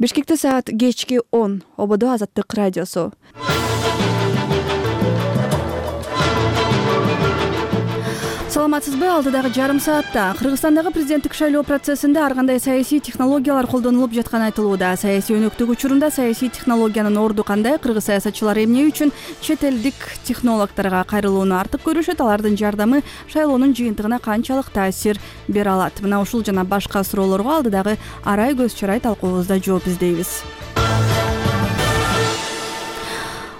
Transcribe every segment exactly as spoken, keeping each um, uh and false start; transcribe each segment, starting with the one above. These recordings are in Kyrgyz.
Бишкекте саат кечки он. Ободо Азаттык радиосу. Саламатсызбы? Алдыдагы жарым саатта Кыргызстандагы президенттик шайлоо процессинде ар кандай саясий технологиялар колдонулуп жатканы айтылууда. Саясий өнөктүк учурунда саясий технологиянын орду кандай? Кыргыз саясатчылар эмне үчүн чет элдик технологторго кайрылууну артык көрүшөт? Алардын жардамы шайлоонун жыйынтыгына канчалык таасир бере алат? Мына ушул жана башка суроолорго алдыдагы арай көз чарай талкуубузда жооп издейбиз.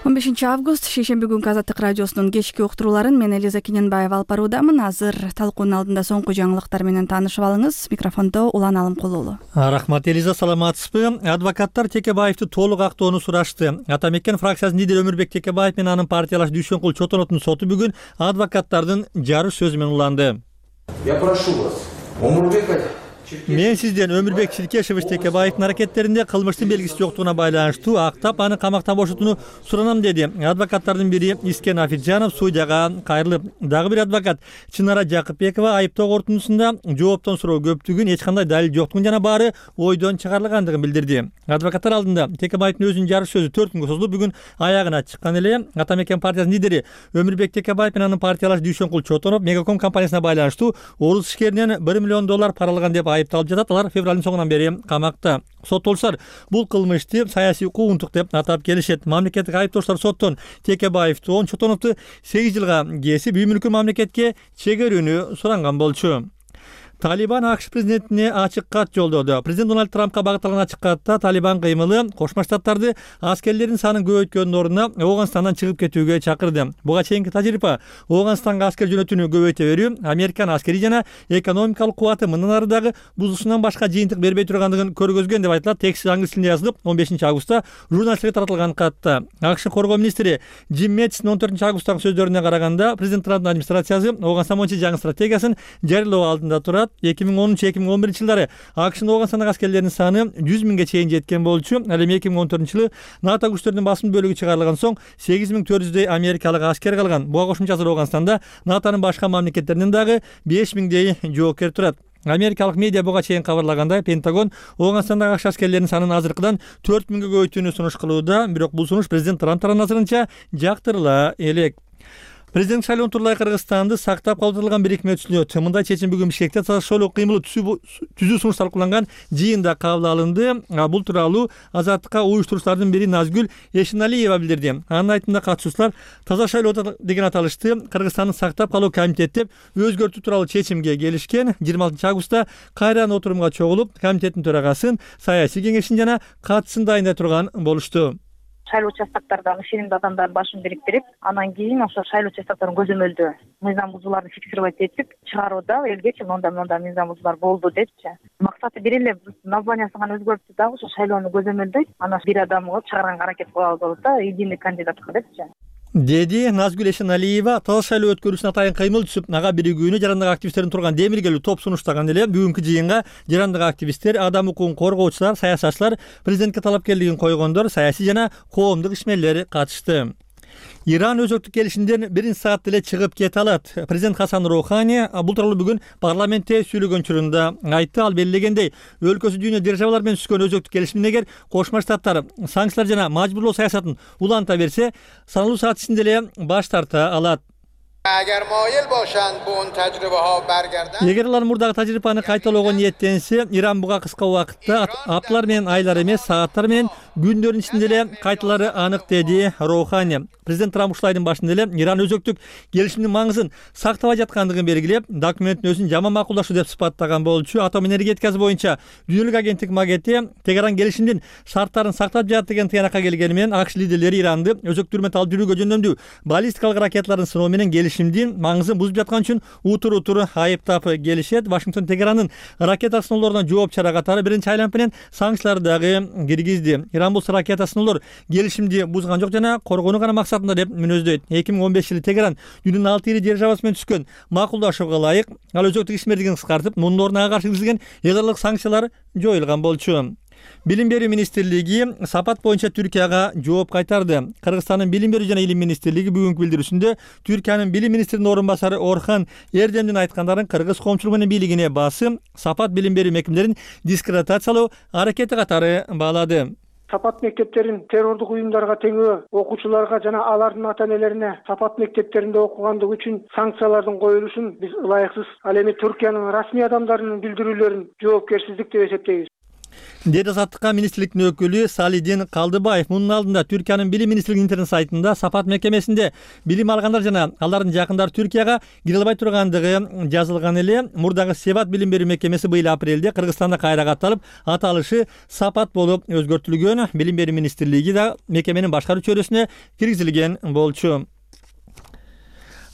он бешинчи август шейшемби күнкү Азаттык радиосунун кечки уктурууларын мен Элиза Кененбаева алып баруудамын. Азыр талкуунун алдында соңку жаңылыктар менен таанышып алыңыз. Микрофондо Улан Алымкулуулу. Рахмат Элиза, саламатсызбы? Адвокаттар Текебаевди толук актоону сурашты. Ата Мекен фракциясынын лидери Өмүрбек Текебаев менен анын партиялаш Дүйшөнкул Чотоновдун соту бүгүн адвокаттардын жарыш сөзү менен уланды. Я прошу вас, Өмүрбек Мен сизден Өмүрбек Чиркешевич Текебаевдин аракеттеринде кылмыштын белгиси жоктугуна байланыштуу актап аны камактан бошотууну суранам, деди. Адвокаттардын бири Искен Афиджанов судьяга кайрылып, дагы бир адвокат Чынара Жакыпбекова айыптоо корутундусунда жооптон суроо көптүгүн, эч кандай далил жоктугун жана баары ойдон чыгарылгандыгын билдирди. Адвокаттар алдында Текебаевдин өзүнүн жарыш сөзү төрт күнгө созулуп, бүгүн аягына чыккан эле. Ата Мекен партиясынын лидери Өмүрбек Текебаев менен анын партиялаш Дүйшөнкул Чотонов Мегаком компаниясына байланыштуу орус ишкеринен бир миллион доллар паралаган деп айыпталып жатат. Алар февралдын соңунан бери камакта. Соттолушар бул кылмышты саясий куугунтук деп атап келишет. Мамлекеттик айыптоочулар соттон Текебаевди он Чотоновду сегиз жылга кесип, үй мүлкүн мамлекетке чегерүүнү суранган болчу. Талибан АКШ президентине ачык кат жолдоду. Президент Дональд Трампка багытталган ачык катта Талибан кыймылы Кошмо Штаттарды аскерлердин санын көбөйткөндүн ордуна Ооганстандан чыгып кетүүгө чакырды. Буга чейинки тажрыйба Ооганстанга аскер жөнөтүүнү көбөйтө берүү, Американын аскери жана экономикалык кубаты мындан ары дагы бузушунан башка жыйынтык бербей тургандыгын көргөзгөн деп айтылат. Текст англис тилинде жазылып, он бешинчи августта журналисттерге таратылган катта. АКШ коргоо министри Джим Мэттистин он төртүнчү августтагы сөздөрүнө караганда, президент Трамптын администрациясы Ооганстан боюнча жаңы стратегиясын жарыялоо алдында турат. эки миң онунчу эки миң он биринчи жылдары АКШнын Ооганстандагы аскерлеринин саны жүз миңге чейин жеткен болчу. Ал эми эки миң он төртүнчү жылы НАТО күчтөрүнүн басым бөлүгү чыгарылган соң сегиз миң төрт жүздөй америкалык аскер калган. Буга кошумча азыр Ооганстанда НАТОнун башка мамлекеттеринен дагы беш миңдей жоокер турат. Америкалык медиа буга чейин кабарлагандай, Пентагон Ооганстандагы АКШ аскерлеринин санын азыркыдан төрт миңге көбөйтүүнү сунуш кылууда. Бирок бул сунуш президент Трамптын назарынча жактырыла элек. Президент шайлоон тууралуу Кыргызстанды сактап калтырылган бирикме түзүлөт. Мындай чечим бүгүн Бишкекте таза шайлоо кыймылы түзүү сунуш талкууланган жыйында кабыл алынды. Бул тууралуу Азаттыкка уюштуруучулардын бири Назгүл Эшеналиева билдирди. Анын айтымында катышуучулар таза шайлоо деген аталышты Кыргызстанды сактап калуу комитети деп өзгөртүү тууралуу чечимге келишкен. жыйырма алтынчы августта кайрадан отурумга чогулуп, комитеттин төрагасын, саясий кеңешин жана катысын дайындай турган болушту. Шайлоо участоктардан ишенимдүү адамдардын башын бириктирип, анан кийин ошо шайлоо участокторун көзөмөлдөө мыйзам бузууларды фиксировать этип чыгарууда элгечи монда монда мыйзам бузуулар болду депчи. Максаты бир эле, названиясын гана өзгөртүп дагы ошо шайлоону көзөмөлдөйт. Анан бир адамга чыгарганга аракет кылабыз болот да, единый кандидатка депчи. Деди Назгүл Эшеналиева. Таза шайлоо өткөрүү үчүн атайын кыймыл түзүп, ага биригүүнү жарандык активисттердин турган демиргелүү топ сунуштаган эле. Бүгүнкү жыйынга жарандык активисттер, адам укугун коргоочулар, саясатчылар, президентке талапкерлигин койгондор, саясий жана коомдук ишмерлер катышты. Иран өзөктүк келишимден биринчи саатта эле чыгып кете алат. Президент Хасан Роухани бул тууралуу бүгүн парламентте сүйлөгөн учурунда айтты. Ал белгилегендей, өлкөсү дүйнө державалар менен түзгөн өзөктүк келишимден эгер Кошмо Штаттар санкциялар жана мажбурлоо саясатын уланта берсе, саналуу саат ичинде эле баш тарта алат. Эгер алар мурдагы тажрыйбаны кайталоого ниеттенсе, Иран буга кыска убакытта апталар менен айлар эмес, сааттар менен күндөрдүн ичинде эле кайталары анык, деди Роухани. Президент Трамп ушул айдын башында эле Иран өзөктүк келишимдин маңызын сактабай жаткандыгын белгилеп, документтин өзүн жаман макулдашуу деп сыпаттаган болчу. Атом энергетикасы боюнча дүйнөлүк агенттик Магете Тегеран келишимдин шарттарын сактап жатат деген тыянакка келгени менен АКШ лидерлери Иранды өзөктүрмөт алып жүрүүгө жөндөмдүү баллистикалык ракеталардын сыноо менен келишимдин маңызын бузуп жаткан үчүн утур-утур айыптап келишет. Вашингтон Тегеранын ракета сыноолоруна жооп чара катары биринчи айланып менен санкцияларды дагы киргизди. Иран болсо ракета сыноолор келишимди бузган жок жана коргоону гана максатында деп мүнөздөйт. эки миң он беш жылы Тегеран дүйнөнүн алты ири державасы менен түзгөн макулдашууга ылайык ал өзөктүк ишмердигин кыскартып, мунун ордуна ага каршы киргизилген эл аралык санкциялар жоюлган болчу. Билим берүү министрлиги сапат боюнча Түркияга жооп кайтарды. Кыргызстандын билим берүү жана илим министрлиги бүгүнкү билдирүүсүндө Түркиянын билим министринин орун басары Орхан Эрдемдин айткандарын кыргыз коомчулугунун бийлигине басым сапат билим берүү мекемелерин дискредитациялоо аракети катары баалады. Сапат мектептерин террордук уюмдарга теңөө окуучуларга жана алардын ата энелерине сапат мектептеринде окугандыгы үчүн санкциялардын коюлушун биз ылайыксыз. Ал эми Түркиянын расмий адамдарынын билдирүүлөрүн жоопкерсиздик деп эсептейбиз, деди Азаттыкка министрликтин өкүлү Салидин Калдыбаев. Мунун алдында Түркиянын билим министрлигинин интернет сайтында сапат мекемесинде билим алгандар жана алардын жакындары Түркияга кире албай тургандыгы жазылган эле. Мурдагы Себат билим берүү мекемеси быйыл апрелде Кыргызстанда кайра катталып, аталышы сапат болуп өзгөртүлгөн. Билим берүү министрлиги да мекеменин башкаруу чөйрөсүнө киргизилген болчу.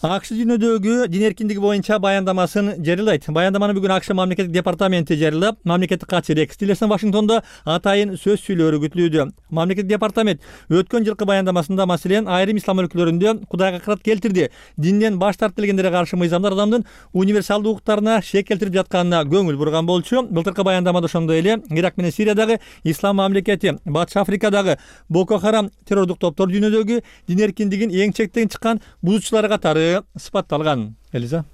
АКШ дүйнөдөгү дин эркиндиги боюнча баяндамасын жарыялайт. Баяндаманы бүгүн АКШ мамлекеттик департаменти жарыялап, мамлекеттик катчы Рекс Тиллерсон Вашингтондо атайын сөз сүйлөөрү күтүлүүдө. Мамлекеттик департамент өткөн жылкы баяндамасында маселен айрым ислам өлкөлөрүндө Кудайга акырат келтирди, динден баш тартып келгендерге каршы мыйзамдар адамдын универсалдуу укуктарына шек келтирип жатканына көңүл бурган болчу. Былтыркы баяндамада ошондой эле Ирак менен Сириядагы ислам мамлекети, Батыш Африкадагы Боко Харам террордук топтор дүйнөдөгү дин эркиндигин эң чектен чыккан бузуучулары катары сыпатталган. Элиза.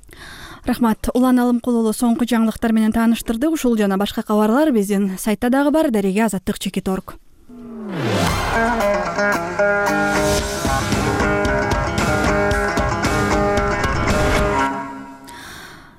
Рахмат. Улан Алымкулулу соңку жаңылыктар менен тааныштырдык. Ушул жана башка кабарлар биздин сайтта дагы бар. Дареге азаттык чекит точка орг.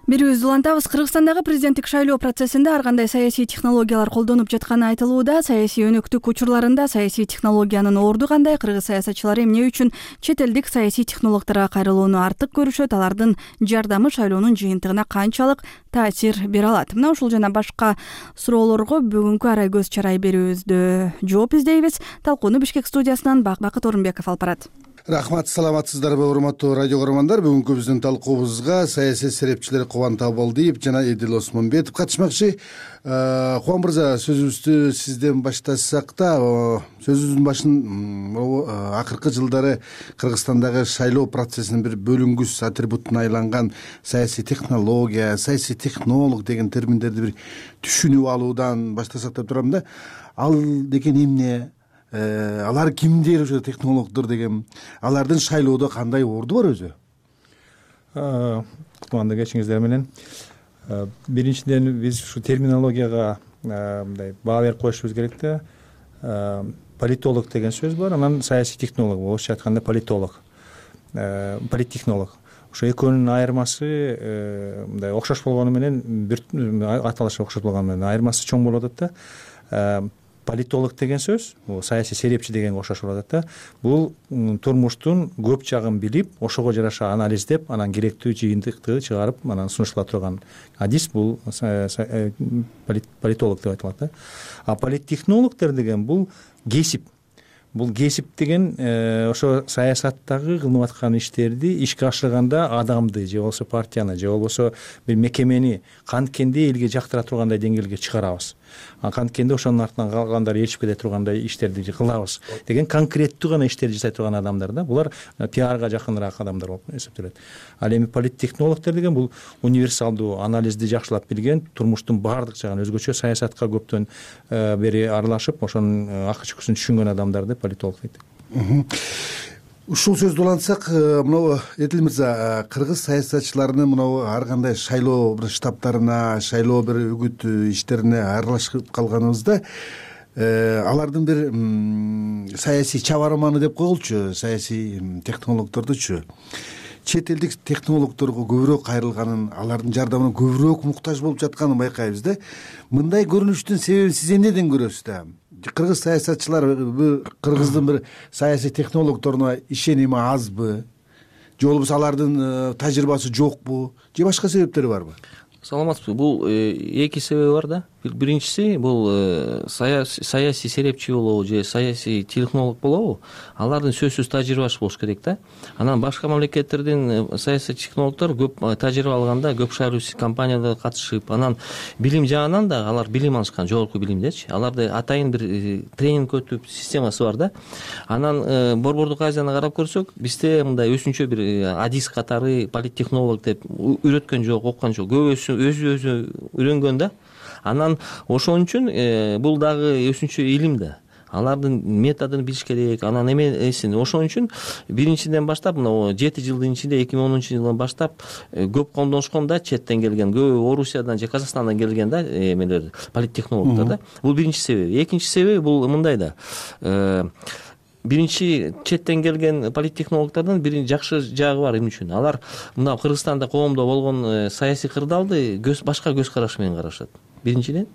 Бирөөбүздү улантабыз. Кыргызстандагы президенттик шайлоо процессинде ар кандай саясий технологиялар колдонуп жатканы айтылууда. Саясий өнөктүк учурларында саясий технологиянын орду кандай? Кыргыз саясатчылары эмне үчүн чет элдик саясий технологторго кайрылууну артык көрүшөт? Алардын жардамы шайлоонун жыйынтыгына канчалык таасир бере алат? Мына ушул жана башка суроолорго бүгүнкү арай көз чарай берүүбүздө жооп издейбиз. Талкууну Бишкек студиясынан Бакбакыт Орунбеков алып барат. Рахмат, саламатсыздарбы урматтуу радио көрөрмандар. Бүгүнкү биздин талкуубузга саясий серепчилер Кубан Табалдиев жана Эдил Осмонбетов катышмакчы. Кубан мырза, сөзүбүздү сизден баштасак да, сөзүбүздүн башын акыркы жылдары Кыргызстандагы шайлоо процессинин бир бөлүнгүс атрибутуна айланган саясий технология, саясий технолог деген терминдерди бир түшүнүп алуудан баштасак деп турам да. Ал деген эмне? Алар кимдер, ошо технологдор деген? Алардын шайлоодо кандай орду бар өзү? Кутманды кечиңиздер менен. Биринчиден биз ушу терминологияга мындай баа берип коюшубуз керек да. Политолог деген сөз бар, анан саясий технолог, орусча айтканда политолог, политтехнолог. Ошо экөөнүн айырмасы мындай окшош болгону менен, бир аталышы окшош болгону менен айырмасы чоң болуп атат да. Политолог деген сөз, бул саясий серепчи дегенге окшош болуп атат да. Бул турмуштун көп жагын билип, ошого жараша анализдеп, анан керектүү жыйынтыкты чыгарып, анан сунуштура турган адис бул политолог деп айтылат да. А политтехнологдор деген бул кесип. Бул кесип деген ошо саясаттагы кылынып аткан иштерди ишке ашырганда адамды же болбосо партияны же болбосо бир мекемени канткенде элге жактыра тургандай деңгээлге чыгарабыз. А канткенде ошонун артынан калгандар ээрчип кете тургандай иштерди кылабыз деген конкреттүү гана иштерди жасай турган адамдар да. Булар пиарга жакыныраак адамдар болуп эсептелет. Ал эми политтехнологдор деген бул универсалдуу анализди жакшылап билген, турмуштун баардык жагын, өзгөчө саясатка көптөн бери аралашып, ошонун акы чыккысын түшүнгөн адамдарды политолог дейт. Ушул сөздү улантсак, мына Эдил мырза, кыргыз саясатчыларынын мына ар кандай шайлоо бир штабтарына, шайлоо бир үгүт иштерине аралашып калганыбызда, алардын бир саясий чабарманы деп коелучу, саясий технологдордучу чет элдик технологдорго көбүрөөк кайрылганын, алардын жардамына көбүрөөк муктаж болуп жатканын байкайбыз да. Мындай көрүнүштүн себебин сиз эмнеден көрөсүз да? Кыргыз саясатчылар кыргыздын бир саясий технологдоруна ишеними азбы? Же болбосо алардын тажрыйбасы жокпу? Же башка себептери барбы? Саламатсызбы. Бул эки себеби бар да. Биринчиси бул саясий серепчи болобу же саясий технолог болобу, алардын сөзсүз тажрыйбасы болуш керек да. Анан башка мамлекеттердин саясий технологдор көп тажрыйба алганда, көп шайлоочу компанияда катышып, анан билим жагынан да алар билим алышкан, жогорку билимдечи. Аларды атайын бир тренинг өтүп системасы бар да. Анан Борбордук Азияны карап көрсөк, бизде мындай өзүнчө бир адис катары политтехнолог деп үйрөткөн жок, оккон жок. Көбүсү өзү өзү үйрөнгөн да. Анан ошон үчүн бул дагы өзүнчө илим да. Алардын методун билиш керек, анан эмесин. Ошон үчүн биринчиден баштап мына жети жылдын ичинде эки миң онунчу жылдан баштап көп колдонушкон да, четтен келген, көп Орусиядан же Казакстандан келген да эмелер, политтехнологдор да. Бул биринчи себеби. Экинчи себеби бул мындай да. Биринчи четтен келген политтехнологдордун бир жакшы жагы бар эмне үчүн? Алар мына Кыргызстанда коомдо болгон саясий кырдаалды башка көз караш менен карашат. Биринчиден.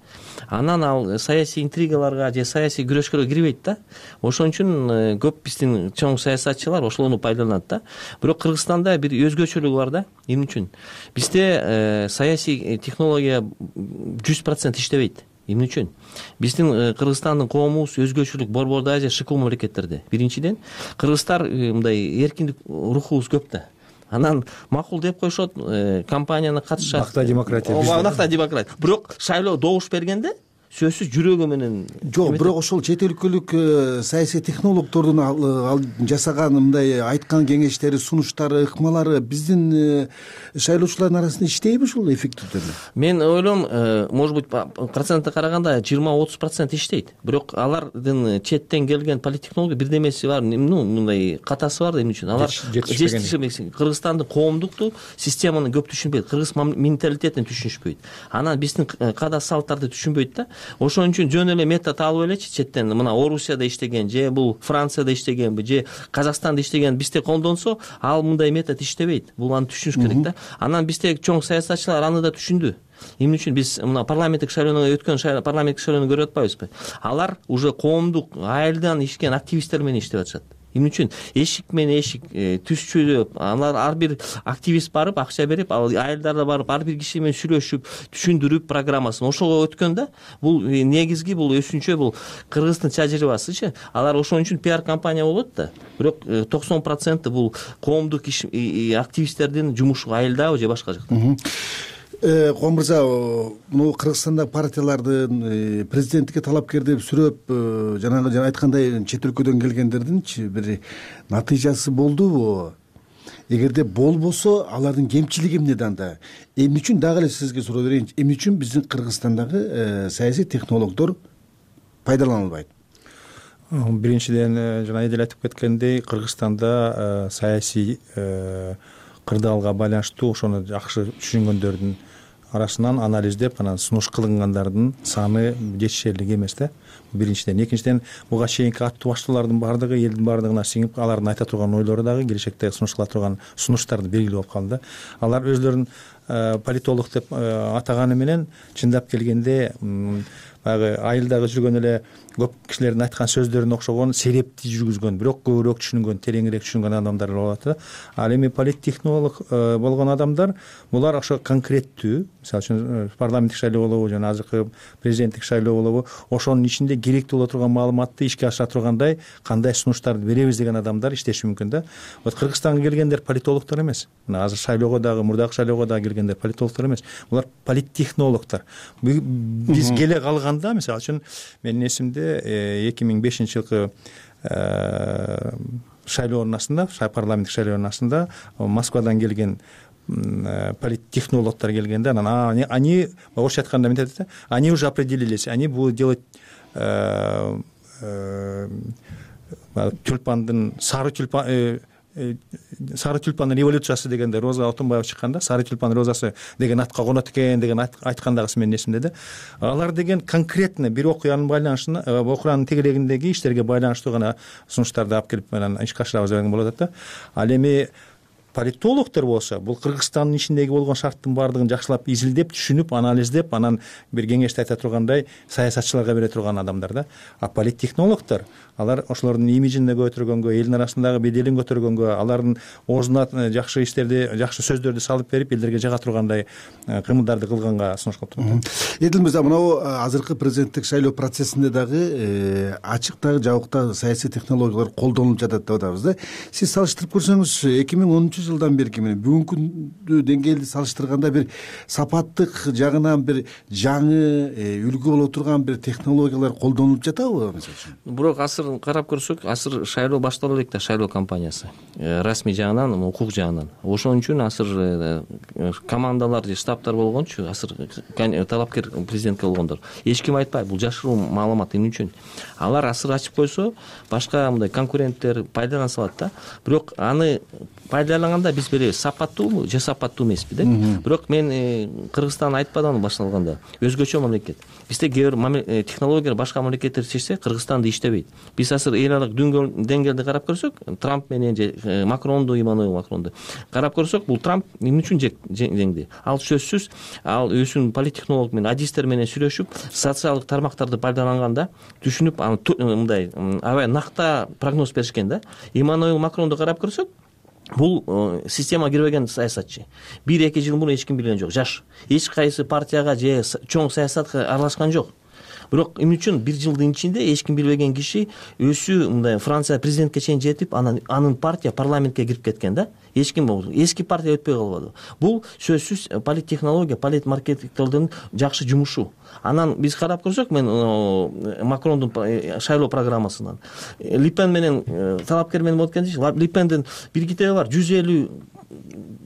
Анан ал саясий интригаларга же саясий күрөшкө кирбейт да. Ошон үчүн көп биздин чоң саясатчылар ошолорду пайдаланат да. Бирок Кыргызстанда бир өзгөчөлүгү бар да. Эмне үчүн? Бизде саясий технология жүз процент иштебейт. Эмне үчүн? Биздин Кыргызстандын коомубуз өзгөчөлүк борбордо же шыкуу мамлекеттерде. Биринчиден, кыргыздар мындай эркиндик рухубуз көп да. Анан макул деп коюшот, компанияны катышат. Накта демократия. Накта демократия. Бирок шайлоо добуш бергенде сөзсүз жүрөгү менен жок, бирок ошол чет өлкөлүк саясий технологдордун ал жасаган мындай айткан кеңештери, сунуштары, ыкмалары биздин шайлоочулардын арасында иштейби ушул эффективдүү? Мен ойлойм, может быть, процентке караганда жыйырма отуз процент иштейт. Бирок алардын четтен келген политтехнология бирдемеси бар, ну, мындай катасы бар. Эмне үчүн? Алар жетишпеген. Кыргызстандын коомдукту системаны көп түшүнбөйт, кыргыз менталитетин түшүнүшпөйт. Анан биздин када салттарды түшүнбөйт да. Ошон үчүн жөн эле метод алып элечи четтен, мына Орусияда иштеген же бул Францияда иштегенби же Казакстанда иштеген бизде колдонсо, ал мындай метод иштебейт. Бул аны түшүнүш керек да. Анан бизде чоң саясатчылар аны да түшүндү. Эмне үчүн биз мына парламенттик шайлоого өткөн парламенттик шайлоону көрүп атпайбызбы? Алар уже коомдук айылдан ишкен активисттер менен иштеп атышат. Эмне үчүн? Эшик менен эшик түшчүлөп, алар ар бир активист барып, акча берип, ал айылдарда барып, ар бир киши менен сүйлөшүп, түшүндүрүп программасын ошого өткөн да. Бул негизги, бул өсүнчө, бул Кыргыздын тажрыйбасычы. Алар ошон үчүн пиар компания болот да. Бирок токсон процент бул коомдук активисттердин жумушу айылдабы же башка жакта. Ком мырза, мына Кыргызстандагы партиялардын президенттикке талапкер деп сүрөп, жанагы жана айткандай чет өлкөдөн келгендердинчи бир натыйжасы болдубу? Эгерде болбосо, алардын кемчилиги эмнеде анда? Эмне үчүн дагы эле сизге суроо берейинчи? Эмне үчүн биздин Кыргызстандагы саясий технологдор пайдалана албайт? Биринчиден, жана эдел айтып кеткендей, Кыргызстанда саясий кырдаалга байланыштуу ошону жакшы түшүнгөндөрдүн арасынан анализдеп, анан сунуш кылынгандардын саны жетишерлик эмес да. Биринчиден, экинчиден, буга чейинки аттуу баштоолордун баардыгы элдин баардыгына сиңип, алардын айта турган ойлору дагы келечекте сунуш кыла турган сунуштарды белгилүү болуп калды. Алар өзлөрүн политолог деп атаганы менен чындап келгенде баягы айылдагы жүргөн эле көп кишилердин айткан сөздөрүнө окшогон серепти жүргүзгөн, бирок көбүрөөк түшүнгөн, тереңирээк түшүнгөн адамдар болот да. Ал эми политтехнолог болгон адамдар булар ошо конкреттүү, мисалы үчүн парламенттик шайлоо болобу жана азыркы президенттик шайлоо болобу, ошонун ичинде керектүү боло турган маалыматты ишке ашыра тургандай кандай сунуштарды беребиз деген адамдар иштеши мүмкүн да. Вот Кыргызстанга келгендер политологдор эмес. Мына азыр шайлоого дагы, мурдагы шайлоого дагы келгендер политологдор эмес. Булар политтехнологдор. Биз келе калганда, мисалы үчүн менин эсимде эки миң бешинчи жылкы шайлоонун астында, парламенттик шайлоонун астында Москвадан келген политтехнологдор келгенде, анан они, орусча айтканда эмне айтат, они уже определились, они будут делать тюльпандын, сары тюльпан, сары тюльпандын революциясы дегенде Роза Отунбаева чыкканда, сары тюльпан розасы деген атка конот экен деген айткандагысы менин эсимде да. Алар деген конкретно бир окуянын байланышына, окуянын тегерегиндеги иштерге байланыштуу гана сунуштарды алып келип менен ишке ашырабыз деген болот да. Ал эми политологдор болсо, бул Кыргызстандын ичиндеги болгон шарттын баардыгын жакшылап изилдеп, түшүнүп, анализдеп, анан бир кеңешти айта тургандай саясатчыларга бере турган адамдар да. А политтехнологдор, алар ошолордун имиджин көтөргөнгө, элдин арасындагы беделин көтөргөнгө, алардын оозуна жакшы иштерди, жакшы сөздөрдү салып берип, элдерге жага тургандай кыймылдарды кылганга сунуш кылып турат. Эдил мырза, мынау азыркы президенттик шайлоо процессинде дагы ачык дагы жабык да саясий технологиялар колдонулуп жатат деп атабыз да. Сиз салыштырып көрсөңүз, эки миң онунчу нече жылдан берки менен бүгүнкү деңгээлди салыштырганда бир сапаттык жагынан бир жаңы үлгү боло турган бир технологиялар колдонулуп жатабы мисалы үчүн? Бирок азыр карап көрсөк, азыр шайлоо баштала элек да, шайлоо кампаниясы расмий жагынан, укук жагынан. Ошон үчүн азыр командалар же штабтар болгончу, азыр талапкер президентке болгондор эч ким айтпайт, бул жашыруу маалымат. Эмне үчүн? Алар азыр ачып койсо, башка мындай конкуренттер пайдалана салат да. Бирок аны пайдаланганда биз беребиз, сапаттуубу же сапаттуу эмеспи деп. Бирок мен Кыргызстан айтпадан башталганда өзгөчө мамлекет. Бизде кээ бир технологиялар башка мамлекеттер чечсе, Кыргызстанда иштебейт. Биз азыр эл аралык деңгээлди карап көрсөк, Трамп менен же Макронду, Эммануэл Макронду карап көрсөк, бул Трамп эмне үчүн жеңди? Ал сөзсүз, ал өзүнүн политтехнолог менен, адистер менен сүйлөшүп, социалдык тармактарды пайдаланганда, түшүнүп, мындай аябай накта прогноз беришкен да. Эммануэл Макронду карап көрсөк, бул система кирбеген саясатчы. бир эки жыл мурун эч ким билген жок. Жаш. Эч кайсы партияга же чоң саясатка аралашкан жок. Бирок эмне үчүн бир жылдын ичинде эч ким билбеген киши өзү мындай Франция президентке чейин жетип, анан анын партия парламентке кирип кеткен да. Эч ким эски партия өтпөй калбады. Бул сөзсүз политтехнология, политмаркетингдин жакшы жумушу. Анан биз карап көрсөк, мен Макрондун шайлоо программасынан Липен менен талапкер менен болот экен. Липендин бир китеби бар, жүз элүү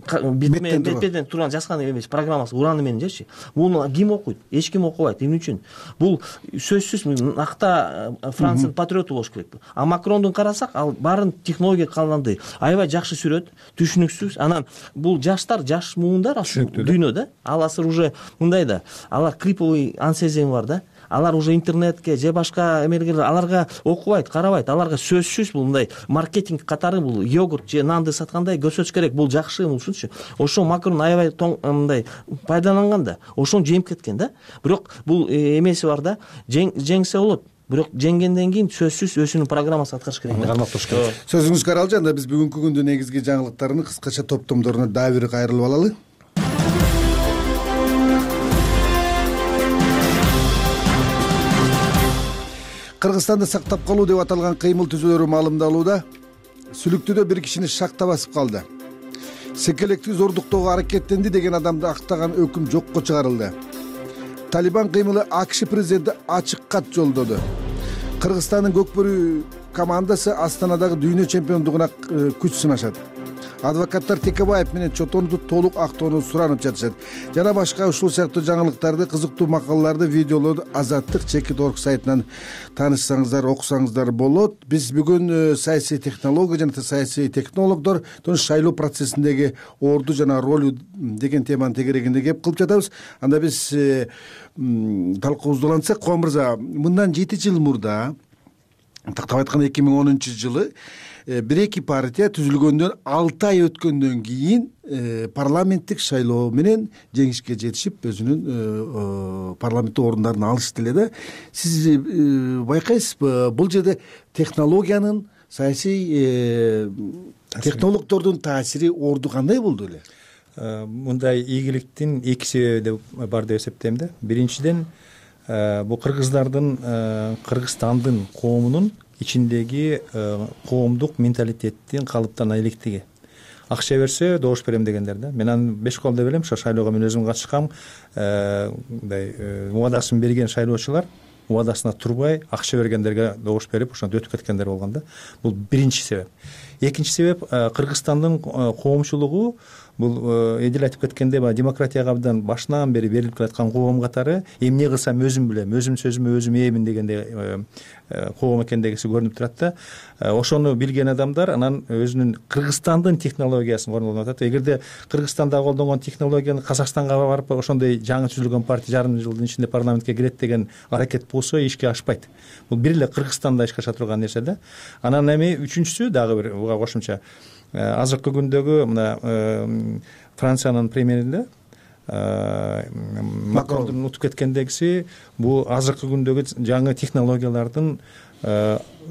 бетпеден турган жазган эмес программасы ураны менен жечи. Муну ким окуйт? Эч ким окубайт. Эмне үчүн? Бул сөзсүз накта Франциянын патриоту болуш керек. А Макрондун карасак, ал баарын технология калгандай аябай жакшы сүрөт, түшүнүксүз. Анан бул жаштар, жаш муундар дүйнөдө. Ал азыр уже мындай да, алар криповый ансезем бар да. Алар уже интернетке же башка эмелер аларга окубайт, карабайт. Аларга сөзсүз бул мындай маркетинг катары бул йогурт же нанды саткандай көрсөтүш керек. Бул жакшы ушунчу. Ошо Макрон аябай мындай пайдаланган да. Ошону жеңип кеткен да. Бирок бул эмеси бар да. Жеңсе болот. Бирок жеңгенден кийин сөзсүз өзүнүн программасын аткарыш керек. Кармап туруш керек. Сөзүңүз каралжы. Анда биз бүгүнкү күндүн негизги жаңылыктарын кыскача топтомдоруна дагы бир кайрылып алалы. Кыргызстанды сактап калуу деп аталган кыймыл түзүүлөрү маалымдалууда. Сүлүктүдө бир кишини шакта басып калды. Секелекти зордуктоого аракеттенди деген адамды актаган өкүм жокко чыгарылды. Талибан кыймылы АКШ президенти ачык кат жолдоду. Кыргызстандын көкбөрү командасы Астанадагы дүйнө чемпиондугуна күч сынашат. Адвокаттар Текебаев менен Чотонду толук актоону суранып жатышат. Жана башка ушул сыяктуу жаңылыктарды, кызыктуу макалаларды, видеолорду Азаттык чекит точка орг сайтынан таанышсаңыздар, окусаңыздар болот. Биз бүгүн саясий технология жана саясий технологдор шайлоо процессиндеги орду жана ролу деген теманын тегерегинде кеп кылып жатабыз. Анда биз талкуубузду улантсак, Кубан мырза, мындан жети жыл мурда, тактап айтканда эки миң онунчу жылы бир эки партия түзүлгөндөн алты ай өткөндөн кийин парламенттик шайлоо менен жеңишке жетишип, өзүнүн парламенттик орундарын алышты эле да. Сиз байкайсызбы, бул жерде технологиянын, саясий технологдордун таасири орду кандай болду эле? Мындай ийгиликтин эки себеби бар деп эсептейм да. Биринчиден, бул кыргыздардын, Кыргызстандын коомунун ичиндеги коомдук менталитеттин калыптана электиги. Акча берсе добуш берем дегендер да. Мен аны беш колдой берем. Ошо шайлоого мен өзүм катышкам. Мындай убадасын берген шайлоочулар убадасына турбай акча бергендерге добуш берип, ошондо өтүп кеткендер болгон да. Бул биринчи себеп. Экинчи себеп, Кыргызстандын коомчулугу бул эдил айтып кеткендей, демократияга абдан башынан бери берилип келаткан коом катары, эмне кылсам өзүм билем, өзүм сөзүмө өзүм ээмин дегендей коом экендегиси көрүнүп турат да. Ошону билген адамдар анан өзүнүн Кыргызстандын технологиясын колдонуп атат. Эгерде Кыргызстанда колдонгон технологияны Казакстанга барып, ошондой жаңы түзүлгөн партия жарым жылдын ичинде парламентке кирет деген аракет болсо ишке ашпайт. Бул бир эле Кыргызстанда ишке аша турган нерсе да. Анан эми үчүнчүсү дагы бир буга кошумча, азыркы күндөгү мына Франциянын премьеринде Макрондун утуп кеткендегиси бул азыркы күндөгү жаңы технологиялардын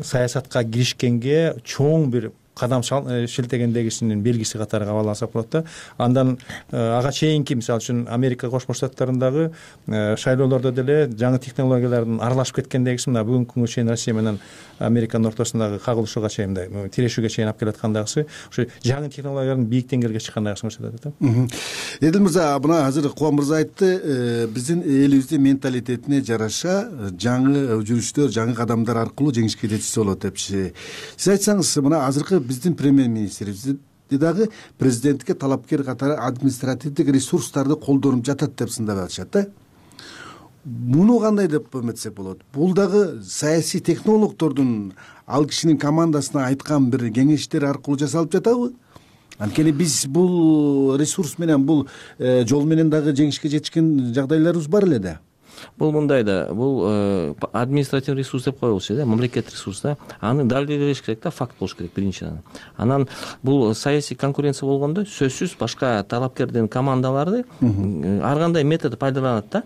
саясатка киришкенге чоң бир кадам шилтегендегисинин белгиси катары кабыл алсак болот да. Андан ага чейинки мисалы үчүн Америка Кошмо Штаттарындагы шайлоолордо деле жаңы технологиялардын аралашып кеткендегиси мына бүгүнкү күнгө чейин Россия менен Американын ортосундагы кагылышууга чейин мындай тирешүүгө чейин алып келаткан дагысы ошо жаңы технологиялардын бийик деңгээлге чыккандыгын көрсөтөт да. Эдил мырза, мына азыр Кубан мырза айтты, биздин элибиздин менталитетине жараша жаңы жүрүштөр, жаңы кадамдар аркылуу жеңишке жетишсе болот депчи. Сиз айтсаңыз, мына азыркы биздин премьер-министрибиз дагы президентке талапкер катары административдик ресурстарды колдонуп жатат деп сындап атышат да. Муну кандай деп эметсек болот? Бул дагы саясий технологдордун ал кишинин командасына айткан бир кеңештер аркылуу жасалып жатабы? Анткени биз бул ресурс менен, бул жол менен дагы жеңишке жетишкен жагдайларыбыз бар эле да. Бул мындай да, бул административный ресурс деп коелучу да, мамлекет ресурс да. Аны далилдеш керек да, факт болуш керек биринчиден. Анан бул саясий конкуренция болгондо сөзсүз башка талапкердин командалары ар кандай метод пайдаланат да.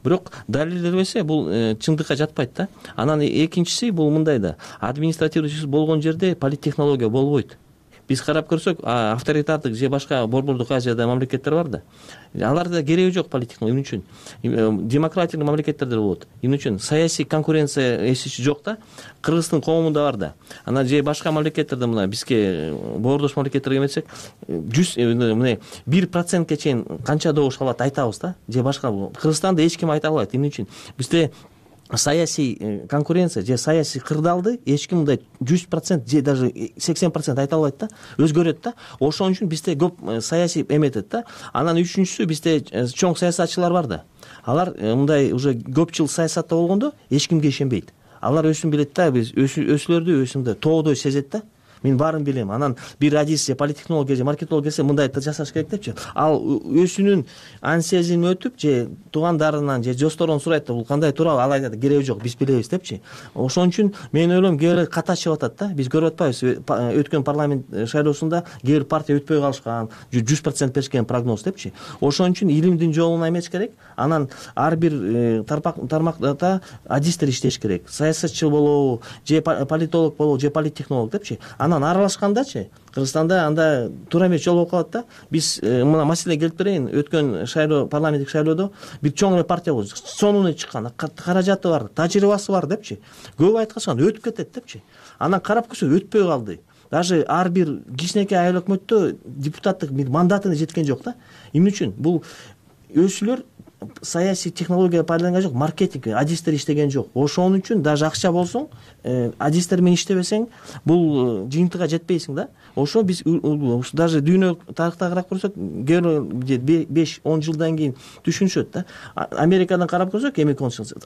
Бирок далилденбесе бул чындыкка жатпайт да. Анан экинчиси бул мындай да, административный ресурс болгон жерде политтехнология болбойт. Биз карап көрсөк, авторитардык же башка борбордук Азияда мамлекеттер бар да. Аларда кереги жок политтехнология. Эмне үчүн? Демократиялык мамлекеттерде болот. Эмне үчүн? Саясий конкуренция эсичи жок да. Кыргыздын коомунда бар да. Анан же башка мамлекеттерде мына бизге боордош мамлекеттерге эметсек, жүз мына бир процентке чейин канча добуш алат айтабыз да. Же башка Кыргызстанда эч ким айта албайт. Эмне үчүн? Бизде саясий конкуренция же саясий кырдаалды эч ким мындай жүз процент же даже сексен процент айта албайт да, өзгөрөт да. Ошон үчүн бизде көп саясий эметет да. Анан үчүнчүсү бизде чоң саясатчылар бар да. Алар мындай уже көп жыл саясатта болгондо эч кимге ишенбейт. Алар өзүн билет да, биз өсүлөрдү өзүндө тоодой сезет да. Мен баарын билем. Анан бир адис же политтехнолог же маркетолог келсе мындай жасаш керек депчи. Ал өзүнүн ансезин өтүп же туугандарынан же досторунан сурайт да, бул кандай тууралуу, ал айтат кереги жок, биз билебиз депчи. Ошон үчүн мен ойлойм кээ бир ката чыгып атат да. Биз көрүп атпайбыз өткөн парламент шайлоосунда кээ бир партия өтпөй калышкан, жүз процент беришкен прогноз депчи. Ошон үчүн илимдин жолуна эмес керек. Анан ар бир тармакта адистер иштеш керек. Саясатчы болобу, же политолог болобу, же политтехнолог депчи. Анан аралашкандачы Кыргызстанда анда туура эмес жол болуп калат да. Биз мына маселе келип берейин. Өткөн шайлоо, парламенттик шайлоодо бир чоң эле партия болду. Сонуна чыккан, каражаты бар, тажрыйбасы бар депчи. Көп айткан өтүп кетет депчи. Анан карап көрсөк өтпөй калды. Даже ар бир кичинекей айыл өкмөттө депутаттык мандатына жеткен жок да. Эмне үчүн? Бул өзүлөр саясий технология пайдаланган жок, маркетинг, адистер иштеген жок. Ошон үчүн даже акча болсоң, адистер менен иштебесең, бул жыйынтыга жетпейсиң да. Ошо биз даже дүйнө тарыхта карап көрсөк, беш он жылдан кийин түшүнүшөт да. Америкадан карап көрсөк, эми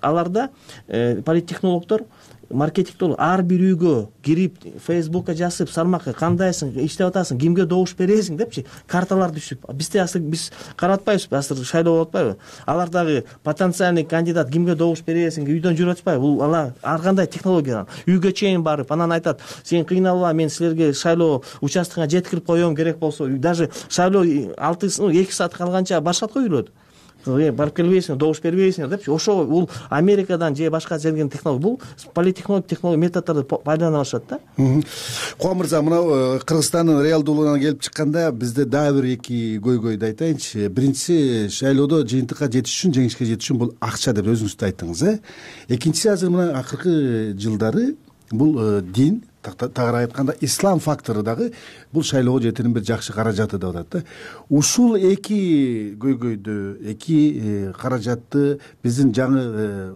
аларда политтехнологдор, маркетингдер ар бир үйгө кирип, Facebookка жазып, салмакка кандайсың, иштеп атасың, кимге добуш бересиң депчи, карталар түшүп. Бизде асыл биз каратпайбыз, асыл шайлоо болуп атпайбы? Алар дагы потенциальный кандидат кимге добуш бересиң, үйдөн жүрүп атпайбы? Бул ала ар кандай технология. Үйгө чейин барып, анан айтат, сен кыйналба, мен силерге шайлоо участкага жеткирип коем, керек болсо. Даже шайлоо алты эки саат калганча барышат го үйлөрдө. Барып келбейсиңер, добуш бербейсиңер депчи. Ошо бул Америкадан же башка жерден технология, бул политтехнолог технология методдорду пайдалана башташат да. Кубан мырза, мына Кыргызстандын реалдуулугуна келип чыкканда бизде дагы бир эки көйгөйдү айтайынчы. Биринчиси, шайлоодо жыйынтыкка жетиш үчүн, жеңишке жетиш үчүн бул акча деп өзүңүз да айттыңыз, э? Экинчиси, азыр мына акыркы жылдары бул дин, тагыраак айтканда ислам фактору дагы бул шайлоого жетирин бир жакшы каражаты деп атат да. Ушул эки көйгөйдү, эки каражатты биздин жаңы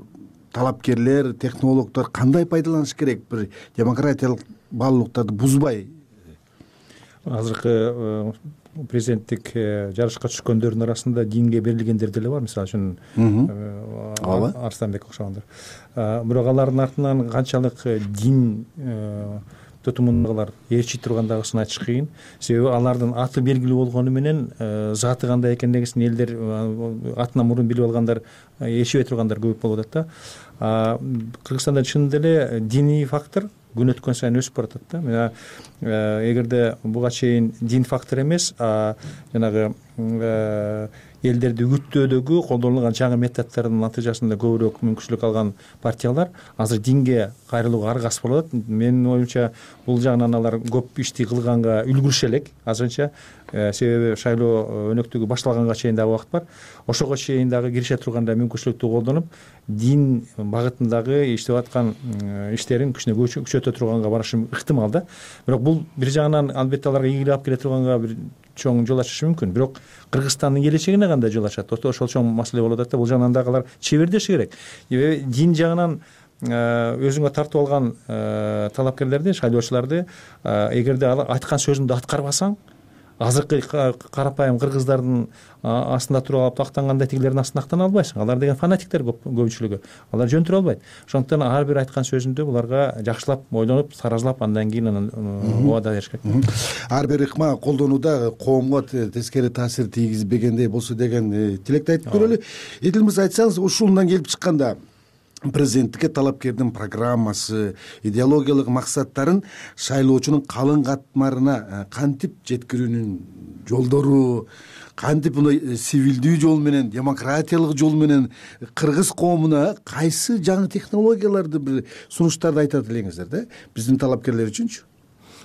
талапкерлер, технологдор кандай пайдаланыш керек, бир демократиялык баалуулуктарды бузбай? Азыркы президенттик жарышка түшкөндөрдүн арасында динге берилгендер деле бар, мисалы үчүн Арстанбек окшогондор. Бирок алардын артынан канчалык дин тутумундагылар ээрчи тургандагысын айтыш кыйын. Себеби алардын аты белгилүү болгону менен заты кандай экендигин элдер атынан мурун билип алгандар, ээрчибей тургандар көп болуп атат да. Кыргызстанда чынында эле диний фактор күн өткөн сайын өсүп баратат да. Мына эгерде буга чейин дин фактор эмес, а жанагы элдерди үгүттөөдөгү колдонулган жаңы методдордун натыйжасында көбүрөөк мүмкүнчүлүк алган партиялар азыр динге кайрылууга аргасыз болуп атат. Менин оюмча бул жагынан алар көп ишти кылганга үлгүрүшө элек азырынча, себеби шайлоо өнөктүгү башталганга чейин дагы убакыт бар. Ошого чейин дагы кирише турганда мүмкүнчүлүктү колдонуп, дин багытындагы иштеп аткан иштерин кичине күчөтө турганга барышы ыктымал да. Бирок бул бир жагынан албетте аларга ийгилик алып келе турганга бир чоң жол ачышы мүмкүн. Бирок Кыргызстандын келечегине кандай жол ачат? Ошол чоң маселе болуп атат да. Бул жагынан дагы алар чебердеши керек. Дин жагынан өзүңө тартып алган талапкерлерди, шайлоочуларды эгерде алар айткан сөзүңдү аткарбасаң, азыркы карапайым кыргыздардын астында туруп алып тактангандай тигилердин астында актана албайсың. Алар деген фанатиктер көпчүлүгү. Алар жөн албайт. Ошондуктан ар бир айткан сөзүндө буларга жакшылап ойлонуп, таразылап, андан кийин анан убада бериш керек. Ар бир ыкма колдонууда коомго тескери таасир тийгизбегендей болсо деген тилекти айтып көрөлү. Эдил мырза, айтсаңыз, ушундан келип чыкканда президенттикке талапкердин программасы, идеологиялык максаттарын шайлоочунун калың катмарына кантип жеткирүүнүн жолдору, кантип мындай цивилдүү жол менен, демократиялык жол менен кыргыз коомуна кайсы жаңы технологияларды, бир сунуштарды айтат элеңиздер да, биздин талапкерлер үчүнчү?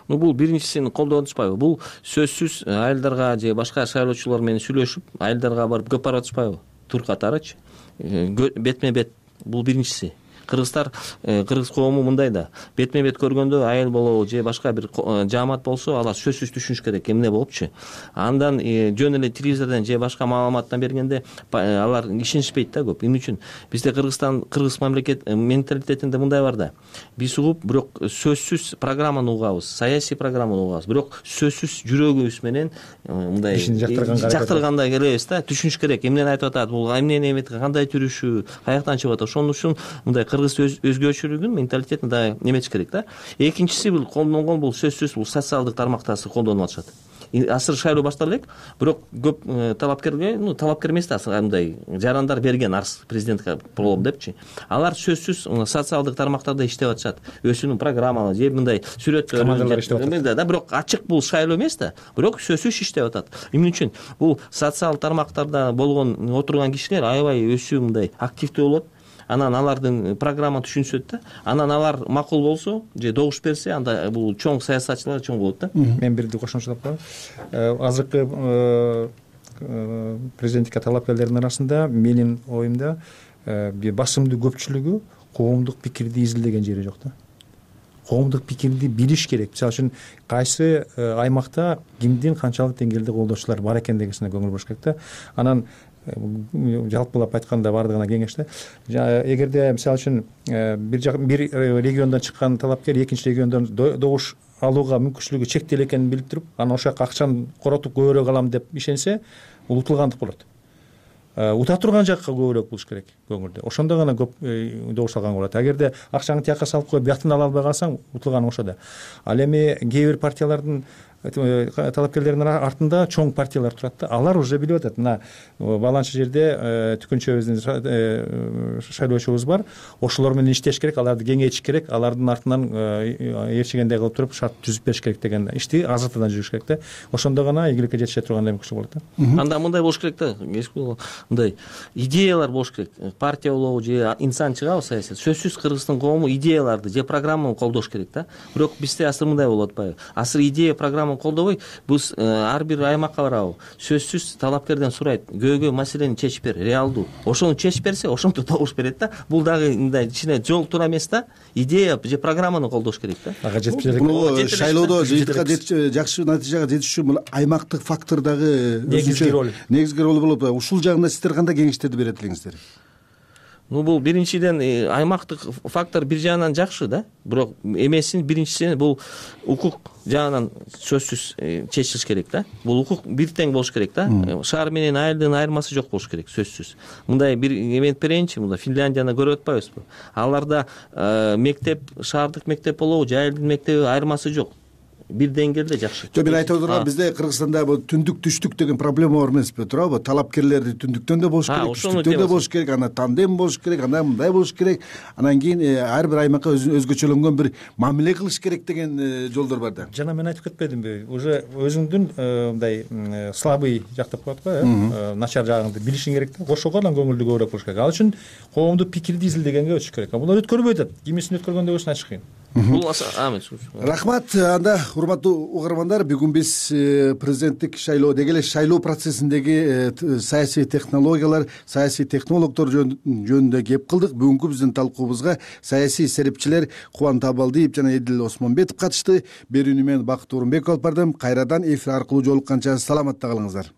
Ну, бул биринчисин колдонуп атышпайбы? Бул сөзсүз айылдарга же башка шайлоочулар менен сүйлөшүп, айылдарга барып көп барып атышпайбы? Тур катарычы, бетме бет. Бул биринчиси. Кыргыздар, кыргыз коому мындай да, бетме бет көргөндө айыл болобу же башка бир жаамат болсо, алар сөзсүз түшүнүш керек, эмне болупчу. Андан жөн эле телевизордон же башка маалыматтан бергенде алар ишенишпейт да көп. Эмне үчүн? Бизде Кыргызстан, кыргыз мамлекет менталитетинде мындай бар да. Биз угуп, бирок сөзсүз программаны угабыз, саясий программаны угабыз, бирок сөзсүз жүрөгүбүз менен мындай жактыргандай келебиз да, түшүнүш керек, эмнени айтып атат, бул эмнени эмети, кандай жүрүшү, каяктан чыгып атат. Ошон үчүн мындай кыргыз өзгөчөлүгүн, менталитетин да эметиш керек да. Экинчиси бул колдонгон, бул сөзсүз бул социалдык тармакта колдонуп атышат. Азыр шайлоо баштала элек, бирок көп талапкерге, ну, талапкер эмес да, мындай жарандар берген арыз президентке болом депчи. Алар сөзсүз социалдык тармактарда иштеп атышат. Өзүнүн программалары же мындай сүрөттөр да, бирок ачык бул шайлоо эмес да, бирок сөзсүз иштеп атат. Эмне үчүн? Бул социал тармактарда болгон отурган кишилер аябай өсүү мындай активдүү болот. Анан алардын программа түшүнсөт да, анан алар макул болсо же добуш берсе, анда бул чоң саясатчылар чоң болот да. Мен бирди кошумчалап коеюн. Азыркы президенттикке талапкерлердин арасында менин оюмда басымдуу көпчүлүгү коомдук пикирди изилдеген жери жок да. Коомдук пикирди билиш керек. Мисалы үчүн кайсы аймакта кимдин канчалык деңгээлде колдоочулар бар экендигине көңүл буруш керек да. Анан жалпылап айтканда бардыгына кеңеш да. Эгерде мисалы үчүн бир бир региондон чыккан талапкер экинчи региондон добуш алууга мүмкүнчүлүгү чектелүү экенин билип туруп, анан ошол жака акчаны коротуп көбүрөөк алам деп ишенсе, бул утулгандык болот. Ута турган жакка көбүрөөк болуш керек көңүлдө. Ошондо гана көп добуш алган болот. Эгерде акчаңды тияка салып коюп, бияктан ала албай калсаң, утулганың ошо да. Ал эми кээ бир партиялардын талапкерлердин артында чоң партиялар турат да. Алар уже билип атат. Мына баланча жерде түкүнчөбүздүн шайлоочубуз бар. Ошолор менен иштеш керек, аларды кеңейтиш керек, алардын артынан ээрчигендей кылып туруп шарт түзүп бериш керек деген ишти азыртадан жүрүш керек да. Ошондо гана ийгиликке жетише тургандай мүмкүнчүлүк болот да. Анда мындай болуш керек да. Мындай идеялар болуш керек. Партия болобу же инсан чыгабы саясат. Сөзсүз Кыргыздын коому идеяларды же программаны колдош керек да. Бирок бизде азыр мындай болуп атпайбы? Азыр идея программа колдобой, биз ар бир аймакка барабы, сөзсүз талапкерден сурайт, көйгөй маселени чечип бер, реалдуу. Ошону чечип берсе, ошентип добуш берет да. Бул дагы мындай кичине жол туура эмес да. Идея же программаны колдош керек да. Ага жетип элек. Шайлоодо жакшы натыйжага жетиш үчүн бул аймактык фактор дагы негизги роль. Негизги роль болуп, ушул жагында сиздер кандай кеңештерди берет элеңиздер? Ну, бул биринчиден аймактык фактор бир жагынан жакшы да, бирок эмесин биринчиси бул укук жагынан сөзсүз чечилиш керек да. Бул укук бир тең болуш керек да. Шаар менен айылдын айырмасы жок болуш керек, сөзсүз. Мындай бир эметип берейинчи, мында Финляндияны көрүп атпайбызбы? Аларда мектеп, шаардык мектеп болобу же айылдын мектеби айырмасы жок. бир деңгээлде жакшы. Жок, мен айтып отурган бизде Кыргызстанда бул түндүк түштүк деген проблема бар эмеспи, туурабы? Талапкерлер түндүктөн да болуш керек, түштүктөн да болуш керек, ана тандем болуш керек, ана мындай болуш керек, анан кийин ар бир аймакка өзгөчөлөнгөн бир мамиле кылыш керек деген жолдор бар да. Жана мен айтып кетпедимби, уже өзүңдүн мындай слабый жак деп коет го, э, начар жагыңды билишиң керек да, ошого эле көңүлдү көбүрөөк болуш керек. Ал үчүн коомдук пикирди изилдегенге өтүш керек. А булар өткөрбөй атат. Кимисин өткөргөндө болсун айтыш кыйын. Бул Амин. Рахмат. Анда урматтуу угармандар, бүгүн биз президенттик шайлоо деги эле шайлоо процессиндеги саясий технологиялар, саясий технологдор жөнүндө кеп кылдык. Бүгүнкү биздин талкуубузга саясий серепчилер Кубан Табалдиев жана Эдил Осмонбетов катышты. Берүүнү мен Бакыт Орунбеков алып бардым. Кайрадан эфир аркылуу жолукканча саламатта калыңыздар.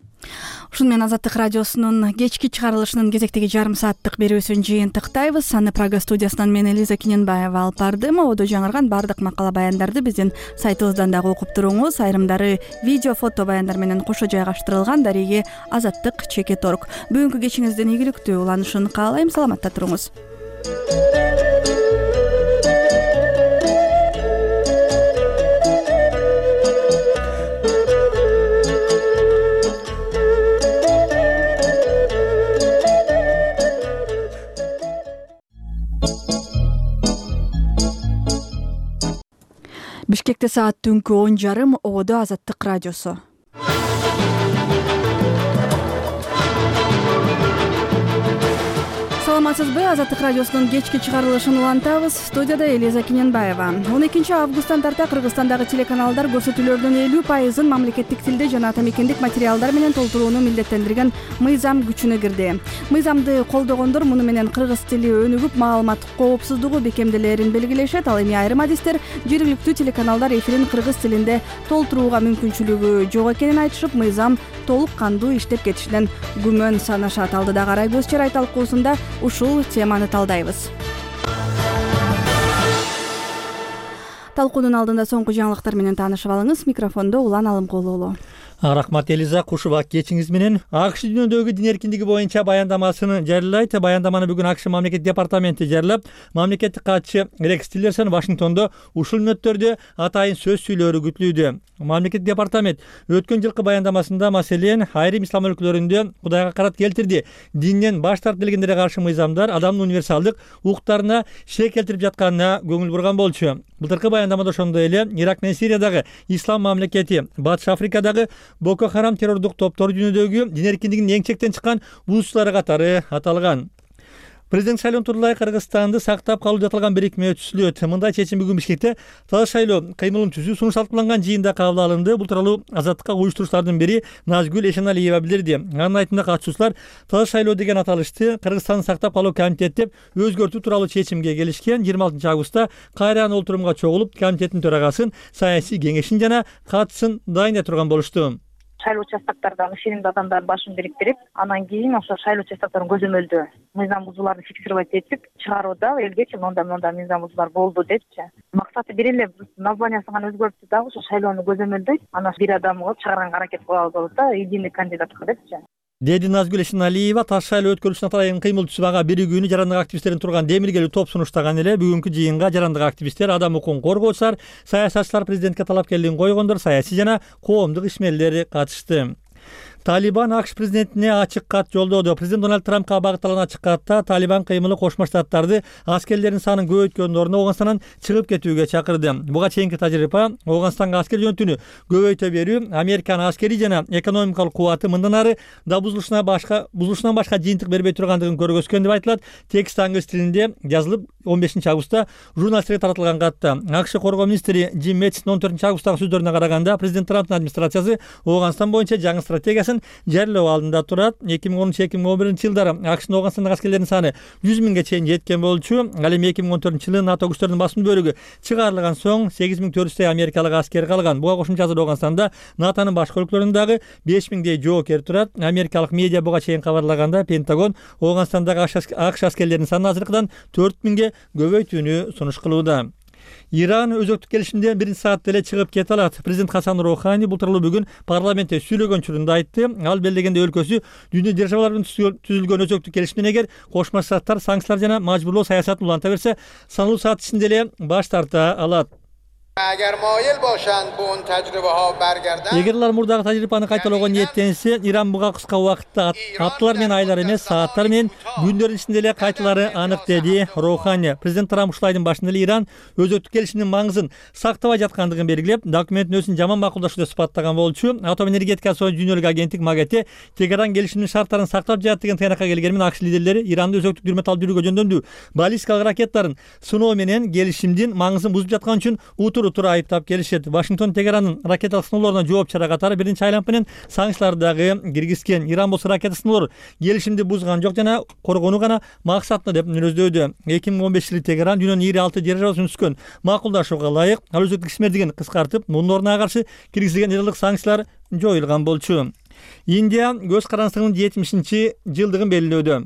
Ушуну менен Азаттык радиосунун кечки чыгарылышынын кезектеги жарым сааттык берүүсүн жыйынтыктайбыз. Аны Прага студиясынан мен Элиза Кененбаева алып бардым. Одо жаңырган бардык макала баяндарды биздин сайтыбыздан дагы окуп туруңуз. Айрымдары видео, фото баяндар менен кошо жайгаштырылган. Дареги Азаттык чекит точка орг. Бүгүнкү кечиңиздин ийгиликтүү уланышын каалайм. Саламатта туруңуз. Бишкекте саат түнкү он жарым. Одо Азаттык радиосу. Саламатсызбы? Азаттык радиосунун кечки чыгарылышын улантабыз. Студияда Элиза Кененбаева. он экинчи августтан тарта Кыргызстандагы телеканалдар көрсөтүүлөрдүн элүү пайызын мамлекеттик тилде жана ата мекендик материалдар менен толтурууну милдеттендирген мыйзам күчүнө кирди. Мыйзамды колдогондор муну менен кыргыз тили өнүгүп, маалымат коопсуздугу бекемделерин белгилешет. Ал эми айрым адистер жергиликтүү телеканалдар эфирин кыргыз тилинде толтурууга мүмкүнчүлүгү жок экенин айтышып, мыйзам толук кандуу иштеп кетишинен күмөн санашат. Алдыда Карай көз чарай талкуусунда ушул теманы талдайбыз. Талкуунун алдында соңку жаңылыктар менен таанышып алыңыз. Микрофондо Улан Алымкулуу. Рахмат Элиза, кушуба кечиңиз менен. АКШ дүйнөдөгү дин эркиндиги боюнча баяндамасын жарыялайт. Баяндаманы бүгүн АКШ мамлекеттик департаменти жарыялап, мамлекеттик катчы Рекс Тиллерсон Вашингтондо ушул мүнөттөрдө атайын сөз сүйлөөрү күтүлүүдө. Мамлекеттик департамент өткөн жылкы баяндамасында маселен айрым ислам өлкөлөрүндө Кудайга карат келтирди, динден баш тартып келгендерге каршы мыйзамдар адамдын универсалдык укуктарына шек келтирип жатканына көңүл бурган болчу. Былтыркы баяндамада ошондой эле Ирак менен Сириядагы ислам мамлекети, Батыш Африкадагы Боко Харам террордук топтор дүйнөдөгү дин эркиндигинин эң чектен чыккан бузуучулары катары аталган. Президент шайлоонун турулай Кыргызстанды сактап калуу аталган бирикме өткөрүлөт. Мындай чечим бүгүн Бишкекте таза шайлоо кыймылын түзүү сунуш талкууланган жыйында кабыл алынды. Бул тууралуу Азаттыкка уюштуруучулардын бири Назгүл Эшеналиева билдирди. Анын айтымында катышуучулар таза шайлоо деген аталышты Кыргызстанды сактап калуу комитети деп өзгөртүү тууралуу чечимге келишкен. жыйырма алтынчы августта кайрадан олтурумга чогулуп, комитеттин төрагасын, саясий кеңешин жана катысын дайындай турган болушту. Шайлоо участоктордон ишенимдүү адамдар башын бириктирип, анан кийин ошо шайлоо участокторун көзөмөлдөө мыйзам бузууларды фиксировать этип чыгарууда элгечи мондай мондай мыйзам бузуулар болду депчи. Максаты бир эле, названиясын гана өзгөртүп дагы ошо шайлоону көзөмөлдөйт, анан бир адам кылып чыгарганга аракет кылабыз болот да, единый кандидатка депчи. Деди Назгүл Эшеналиева таза шайлоо өткөрүлүшүнө атайын кыймыл түзүүгө биригүүнү жарандык активисттердин турган демиргелүү топ сунуштаган эле. Бүгүнкү жыйынга жарандык активисттер, адам укугун коргоочулар, саясатчылар, президентке талапкерлигин койгондор, саясий жана коомдук ишмерлер катышты. Талибан АКШ президентине ачык кат жолдоду. Президент Дональд Трампка багытталган ачык катта Талибан кыймылы Кошмо Штаттарды аскерлердин санын көбөйткөндүн ордуна Ооганстандан чыгып кетүүгө чакырды. Буга чейинки тажрыйба Ооганстанга аскер жөнөтүүнү көбөйтө берүү, Американын аскерий жана экономикалык кубаты мындан ары да бузулушуна башка бузулушунан башка жыйынтык бербей тургандыгын көргөзгөн деп айтылат. Текст англис тилинде жазылып он бешинчи августта журналисттерге таратылган катта. АКШ коргоо министри Джим Мэттистин он төртүнчү августтагы сөздөрүнө караганда, президент Трамптын администрациясы Ооганстан боюнча жаңы стратегиясын жарыялоо алдында турат. эки миң онунчу эки миң он биринчи жылдары АКШнын Ооганстандагы аскерлеринин саны жүз миңге чейин жеткен болчу. Ал эми эки миң он төртүнчү жылы НАТО күчтөрүнүн басым бөлүгү чыгарылган соң сегиз миң төрт жүздөй америкалык аскер калган. Буга кошумча азыр Ооганстанда натонун башка өлкөлөрүндө дагы беш миңдей жоокер турат. Америкалык медиа буга чейин кабарлаганда, Пентагон Ооганстандагы АКШ аскерлеринин санын азыркыдан төрт миңге көбөйтүүнү сунуш кылууда. Иран өзөктүк келишимден биринчи саатта эле чыгып кете алат. Президент Хасан Роухани бул тууралуу бүгүн парламентте сүйлөгөн учурунда айтты. Ал белгилегендей өлкөсү дүйнө державалары менен түзүлгөн өзөктүк келишимден эгер Кошмо Штаттар санкциялар жана мажбурлоо саясатын уланта берсе, саналуу саат ичинде эле баш тарта алат. эгер алар мурдагы тажрыйбаны кайталоого ниеттенсе, Иран буга кыска убакытта апталар менен айлар эмес, сааттар менен күндөрдүн ичинде эле кайталары анык, деди Роухани. Президент Трамп ушул айдын башында эле Иран өзөктүк келишимдин маңызын сактабай жаткандыгын белгилеп, документтин өзүн жаман макулдашуу деп сыпаттаган болчу. Атом энергетика союзунун дүйнөлүк агенттик МАГАТЭ Тегеран келишимдин шарттарын сактап жатат деген тыйнакка келгени менен АКШ лидерлери Иранды өзөктүк дүрмө алып жүрүүгө жөндөмдүү баллистикалык ракеттарын сыноо менен келишимдин маңызын бузуп жаткан үчүн утур-утур айыптап келишет. Вашингтон Тегеранын ракеталык сыноолоруна жооп чара катары биринчи айланып менен санкцияларды дагы киргизген. Иран болсо ракета сыноолор келишимди бузган жок жана коргонуу гана максатында деп мүнөздөдү. эки миң он бешинчи жылы Тегеран дүйнөнүн ири алты державасын түзгөн макулдашууга ылайык ал өзөктүк ишмердигин кыскартып, мунун ордуна каршы киргизилген элдик санкциялар жоюлган болчу. Индия көз карандысынын жетимишинчи жылдыгын белгилөөдө.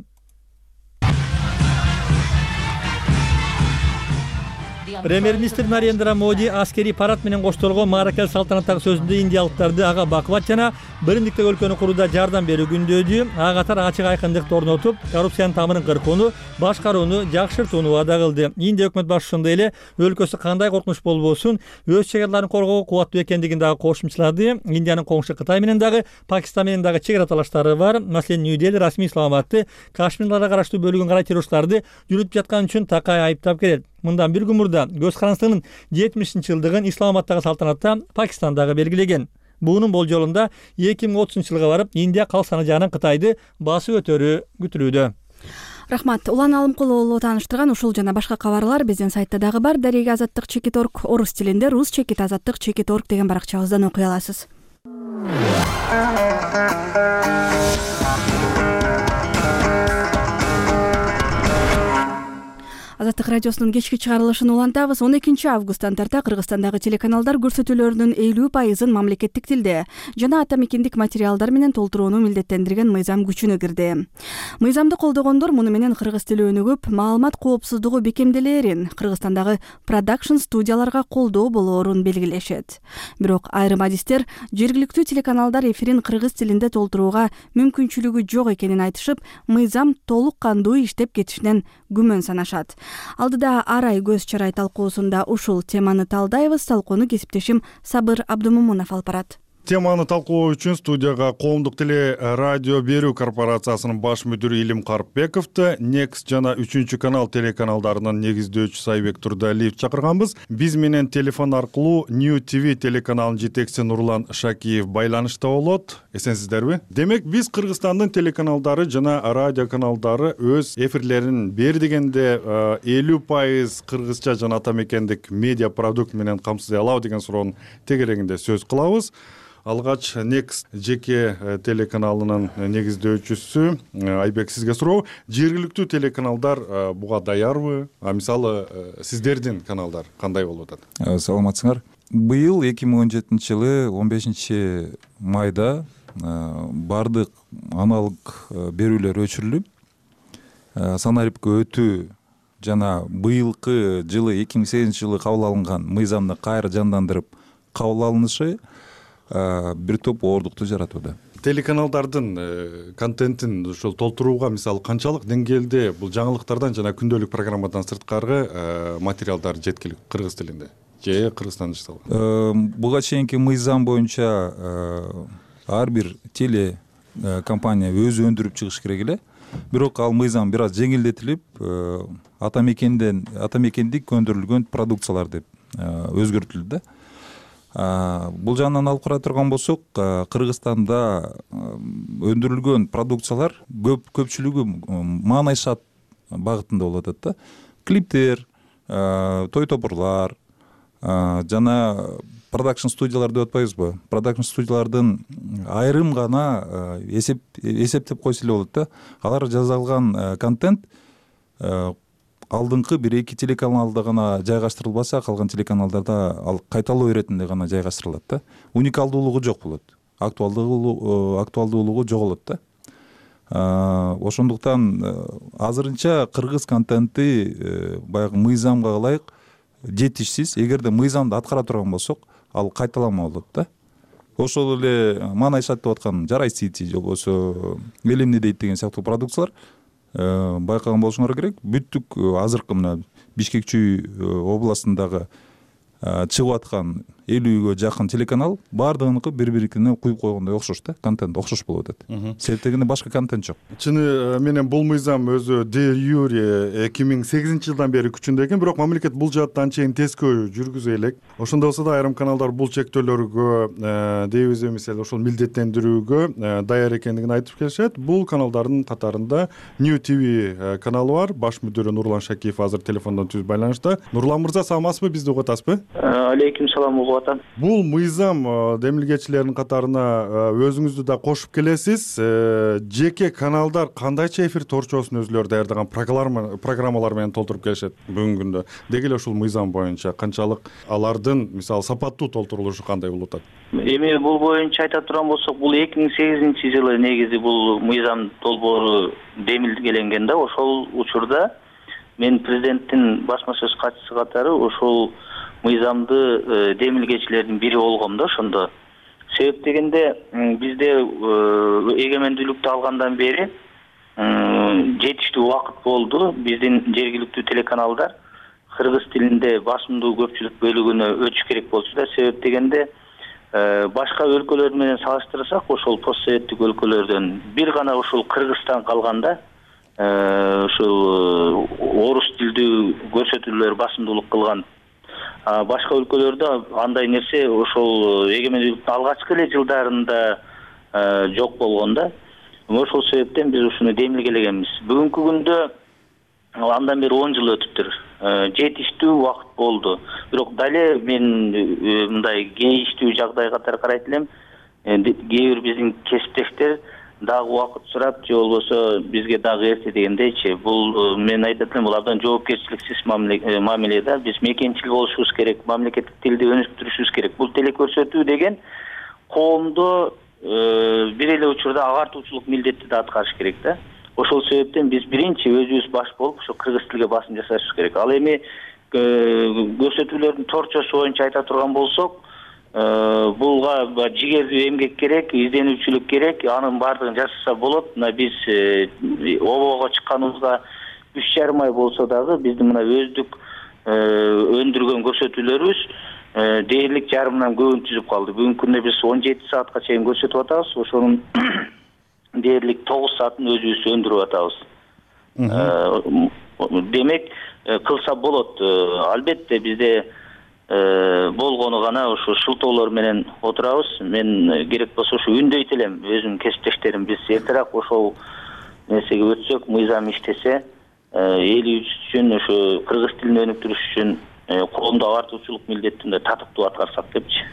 Премьер-министр Нарендра Моди аскерий парад менен коштолгон мааракелик салтанаттагы сөзүндө индиялыктарды ага бакубат жана биримдиктеги өлкөнү курууда жардам берүү күндөөдү. Ага катар ачык айкындыкты орнотуп, коррупциянын тамырын кыркууну, башкарууну жакшыртууну ваада кылды. Индия өкмөт башчысы ошондой эле өлкөсү кандай коркунуч болбосун, өз чек араларын коргоого кубаттуу экендигин дагы кошумчалады. Индиянын коңшу Кытай менен дагы, Пакистан менен дагы чек ара талаштары бар. Маселен, Нью-Дели расмий Исламабадты Кашмирга караштуу бөлүгүн карай террористтарды жүрүтүп жаткан үчүн такай айыптап келет. Мындан бир күн мурда көз карандысынын жетимишинчи жылдыгын Исламабадтагы салтанатта Пакистандагы белгилеген. Буунун болжолунда эки миң отузунчу жылга барып, Индия калк саны жагынан Кытайды басып өтөрү күтүлүүдө. Рахмат. Улан Алымкулуулу тааныштырган ушул жана башка кабарлар биздин сайтта дагы бар. Дареги азаттык чекит орг орус тилинде, рус чекит азаттык чекит орг деген баракчабыздан окуй аласыз. Азаттык радиосунун кечки чыгарылышын улантабыз. он экинчи августтан тарта Кыргызстандагы телеканалдар көрсөтүүлөрүнүн элүү пайызын мамлекеттик тилде жана ата мекендик материалдар менен толтурууну милдеттендирген мыйзам күчүнө кирди. Мыйзамды колдогондор муну менен кыргыз тили өнүгүп, маалымат коопсуздугу бекемделээрин, Кыргызстандагы продакшн студияларга колдоо болоорун белгилешет. Бирок айрым адистер жергиликтүү телеканалдар эфирин кыргыз тилинде толтурууга мүмкүнчүлүгү жок экенин айтышып, мыйзам толук кандуу иштеп кетишинен күмөн санашат. Алдыда арай көз чарай талкуусунда ушул теманы талдайбыз. Талкууну кесиптешим Сабыр Абдумумунов алып барат. Теманы талкуу үчүн студияга Коомдук теле радио берүү корпорациясынын баш мүдүрү Илим Карпбековду, Next жана үчүнчү канал телеканалдарынын негиздөөчүсү Сайбек Турдалиев чакырганбыз. Биз менен телефон аркылуу New ти ви телеканалынын жетекчиси Нурлан Шакиев байланышта болот. Эсенсиздерби? Демек, биз Кыргызстандын телеканалдары жана радио каналдары өз эфирлерин бер дегенде элүү пайыз кыргызча жана ата мекендик медиа продукт менен камсыздай алабы деген суроонун тегерегинде сөз кылабыз. Алгач Next жеке телеканалынын негиздөөчүсү Айбек, сизге суроо. Жергиликтүү телеканалдар буга даярбы? А мисалы сиздердин каналдар кандай болуп атат? Саламатсыңар. Быйыл эки миң он жетинчи жылы он бешинчи майда бардык аналык берүүлөр өчүрүлүп, санариптке өтүү жана быйылкы жылы эки миң сегизинчи жылы кабыл алынган мыйзамды кайра жандандырып кабыл алынышы бир топ оордукту жаратууда. Телеканалдардын контентин ушул толтурууга мисалы канчалык деңгээлде бул жаңылыктардан жана күндөлүк программадан сырткары материалдар жеткиликтүү кыргыз тилинде же Кыргызстанда жасалган? Буга чейинки мыйзам боюнча ар бир теле компания өзү өндүрүп чыгыш керек эле. Бирок ал мыйзам бир аз жеңилдетилип, ата мекенден ата мекендик өндүрүлгөн продукциялар деп өзгөртүлдү да. Бул жагынан алып карай турган болсок, Кыргызстанда өндүрүлгөн продукциялар көп көпчүлүгү маанайшат багытында болуп атат да. Клиптер, той топурлар жана продакшн студиялар деп атпайбызбы? Продакшн студиялардын айрым гана эсеп эсептеп койсо эле болот да. Алар жазалган контент алдыңкы бир эки телеканалда гана жайгаштырылбаса, калган телеканалдарда ал кайталоо иретинде гана жайгаштырылат да. Уникалдуулугу жок болот. Актуалдуулугу актуалдуулугу жоголот да. Ошондуктан азырынча кыргыз контенти баягы мыйзамга ылайык жетишсиз. Эгерде мыйзамды аткара турган болсок, ал кайталанма болот да. Ошол эле маанайшат деп аткан Жарай Сити же болбосо эл эмне дейт деген сыяктуу продукциялар байкаган болушуңар керек. Бүттүк азыркы мына Бишкек Чүй областындагы чыгып аткан элүүгө жакын телеканал баардыгыныкы бири бирикине куюп койгондой окшош да, контент окшош болуп атат. Себеп дегенде башка контент жок. Чыны менен бул мыйзам өзү де юре эки миң сегизинчи жылдан бери күчүндө экен, бирок мамлекет бул жаатта анчейин тескөө жүргүзө элек. Ошондой болсо да айрым каналдар бул чектөөлөргө дейбиз эмесе ошол милдеттендирүүгө даяр экендигин айтып келишет. Бул каналдардын катарында New ти ви каналы бар. Баш мүдүрү Нурлан Шакиев азыр телефондон түз байланышта. Нурлан мырза, саламатсызбы? Бизди угуп атасызбы? Алейкум салам, угуп атам. Бул мыйзам демилгечилердин катарына өзүңүздү да кошуп келесиз. Жеке каналдар кандайча эфир торчосун өзүлөрү даярдаган программалар менен толтуруп келишет бүгүнкү күндө. Деги эле ушул мыйзам боюнча канчалык алардын мисалы сапаттуу толтурулушу кандай болуп атат? Эми бул боюнча айта турган болсок, бул эки миң сегизинчи жылы негизи бул мыйзам долбоору демилгеленген да. Ошол учурда мен президенттин басма сөз катчысы катары ошол мыйзамды демилгечилердин бири болгом да ошондо. Себеп дегенде бизде эгемендүүлүктү алгандан бери жетиштүү убакыт болду. Биздин жергиликтүү телеканалдар кыргыз тилинде басымдуу көпчүлүк бөлүгүнө өтүш керек болчу да. Себеп дегенде башка өлкөлөр менен салыштырсак, ошол постсоветтик өлкөлөрдөн бир гана ушул Кыргызстан калганда ушул орус тилдүү көрсөтүүлөр басымдуулук кылган. Башка өлкөлөрдө андай нерсе ошол эгемендүүлүктүн алгачкы эле жылдарында жок болгон да. Ошол себептен биз ушуну демилгелегенбиз. Бүгүнкү күндө андан бери он жыл өтүптүр. Жетиштүү убакыт болду. Бирок дале мен мындай кейиштүү жагдай катары карайт элем. Кээ бир биздин кесиптештер дагы убакыт сурап, же болбосо бизге дагы эрте дегендейчи. Бул мен айтат элем, бул абдан жоопкерчиликсиз мамиле да. Биз мекенчил болушубуз керек, мамлекеттик тилди өнүктүрүшүбүз керек. Бул телекөрсөтүү деген коомдо бир эле учурда агартуучулук милдетти да аткарыш керек да. Ошол себептен биз биринчи өзүбүз баш болуп ошо кыргыз тилге басым жасашыбыз керек. Ал эми көрсөтүүлөрдүн торчосу боюнча айта турган болсок, булга жигердүү эмгек керек, изденүүчүлүк керек. Анын баардыгын жасаса болот. Мына биз обого чыкканыбызга үч жарым ай болсо дагы биздин мына өздүк өндүргөн көрсөтүүлөрүбүз дээрлик жарымдан көбүн түзүп калды. Бүгүнкү күндө биз он жети саатка чейин көрсөтүп атабыз. Ошонун дээрлик тогуз саатын өзүбүз өндүрүп атабыз. Демек, кылса болот. Албетте бизде болгону гана ушу шылтоолор менен отурабыз. Мен керек болсо ушу үндөйт элем өзүмдүн кесиптештерим. Биз эртерээк ошол нерсеге өтсөк, мыйзам иштесе, элибиз үчүн, ушу кыргыз тилин өнүктүрүш үчүн коомдо агартуучулук милдеттин татыктуу аткарсак депчи.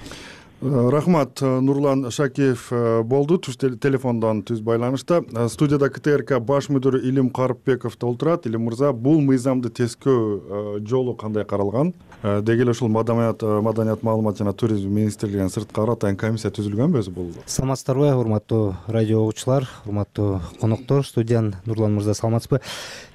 Рахмат. Нурлан Шакиев болду түз телефондон түз байланышта. Студияда ка тэ эр ка баш мүдүрү Илим Карыпбеков отурат. Илим мырза, бул мыйзамды тескөө жолу кандай каралган? Деги эле ушул маданият маданият маалымат жана туризм министрлигинин сырткары атайын комиссия түзүлгөнбү өзү бул? Саламатсыздарбы, урматтуу радио угуучулар, урматтуу коноктор, студиян Нурлан мырза, саламатсызбы?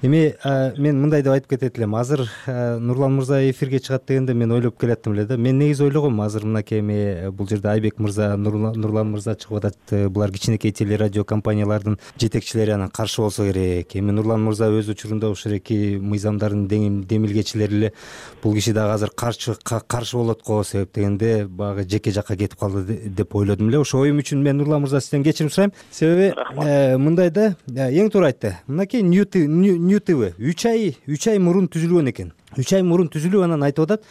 Эми мен мындай деп айтып кетет элем. Азыр Нурлан мырза эфирге чыгат дегенде мен ойлоп келаттым эле да. Мен негизи ойлогом, азыр мынакей эми бул жерде Айбек мырза, Нурлан мырза чыгып атат. Булар кичинекей телерадио компаниялардын жетекчилери, анан каршы болсо керек. Эми Нурлан мырза өз учурунда ушул эки мыйзамдардын демилгечилери эле. Бул киши дагы азыр каршы каршы болот го, себеп дегенде багы жеке жакка кетип калды деп ойлодум эле. Ошо оюм үчүн мен Нурлан мырза сизден кечирим сурайм. Себеби мындай да, эң туура айтты. Мынакей New ти ви үч ай үч ай мурун түзүлгөн экен. үч ай мурун түзүлүп, анан айтып атат,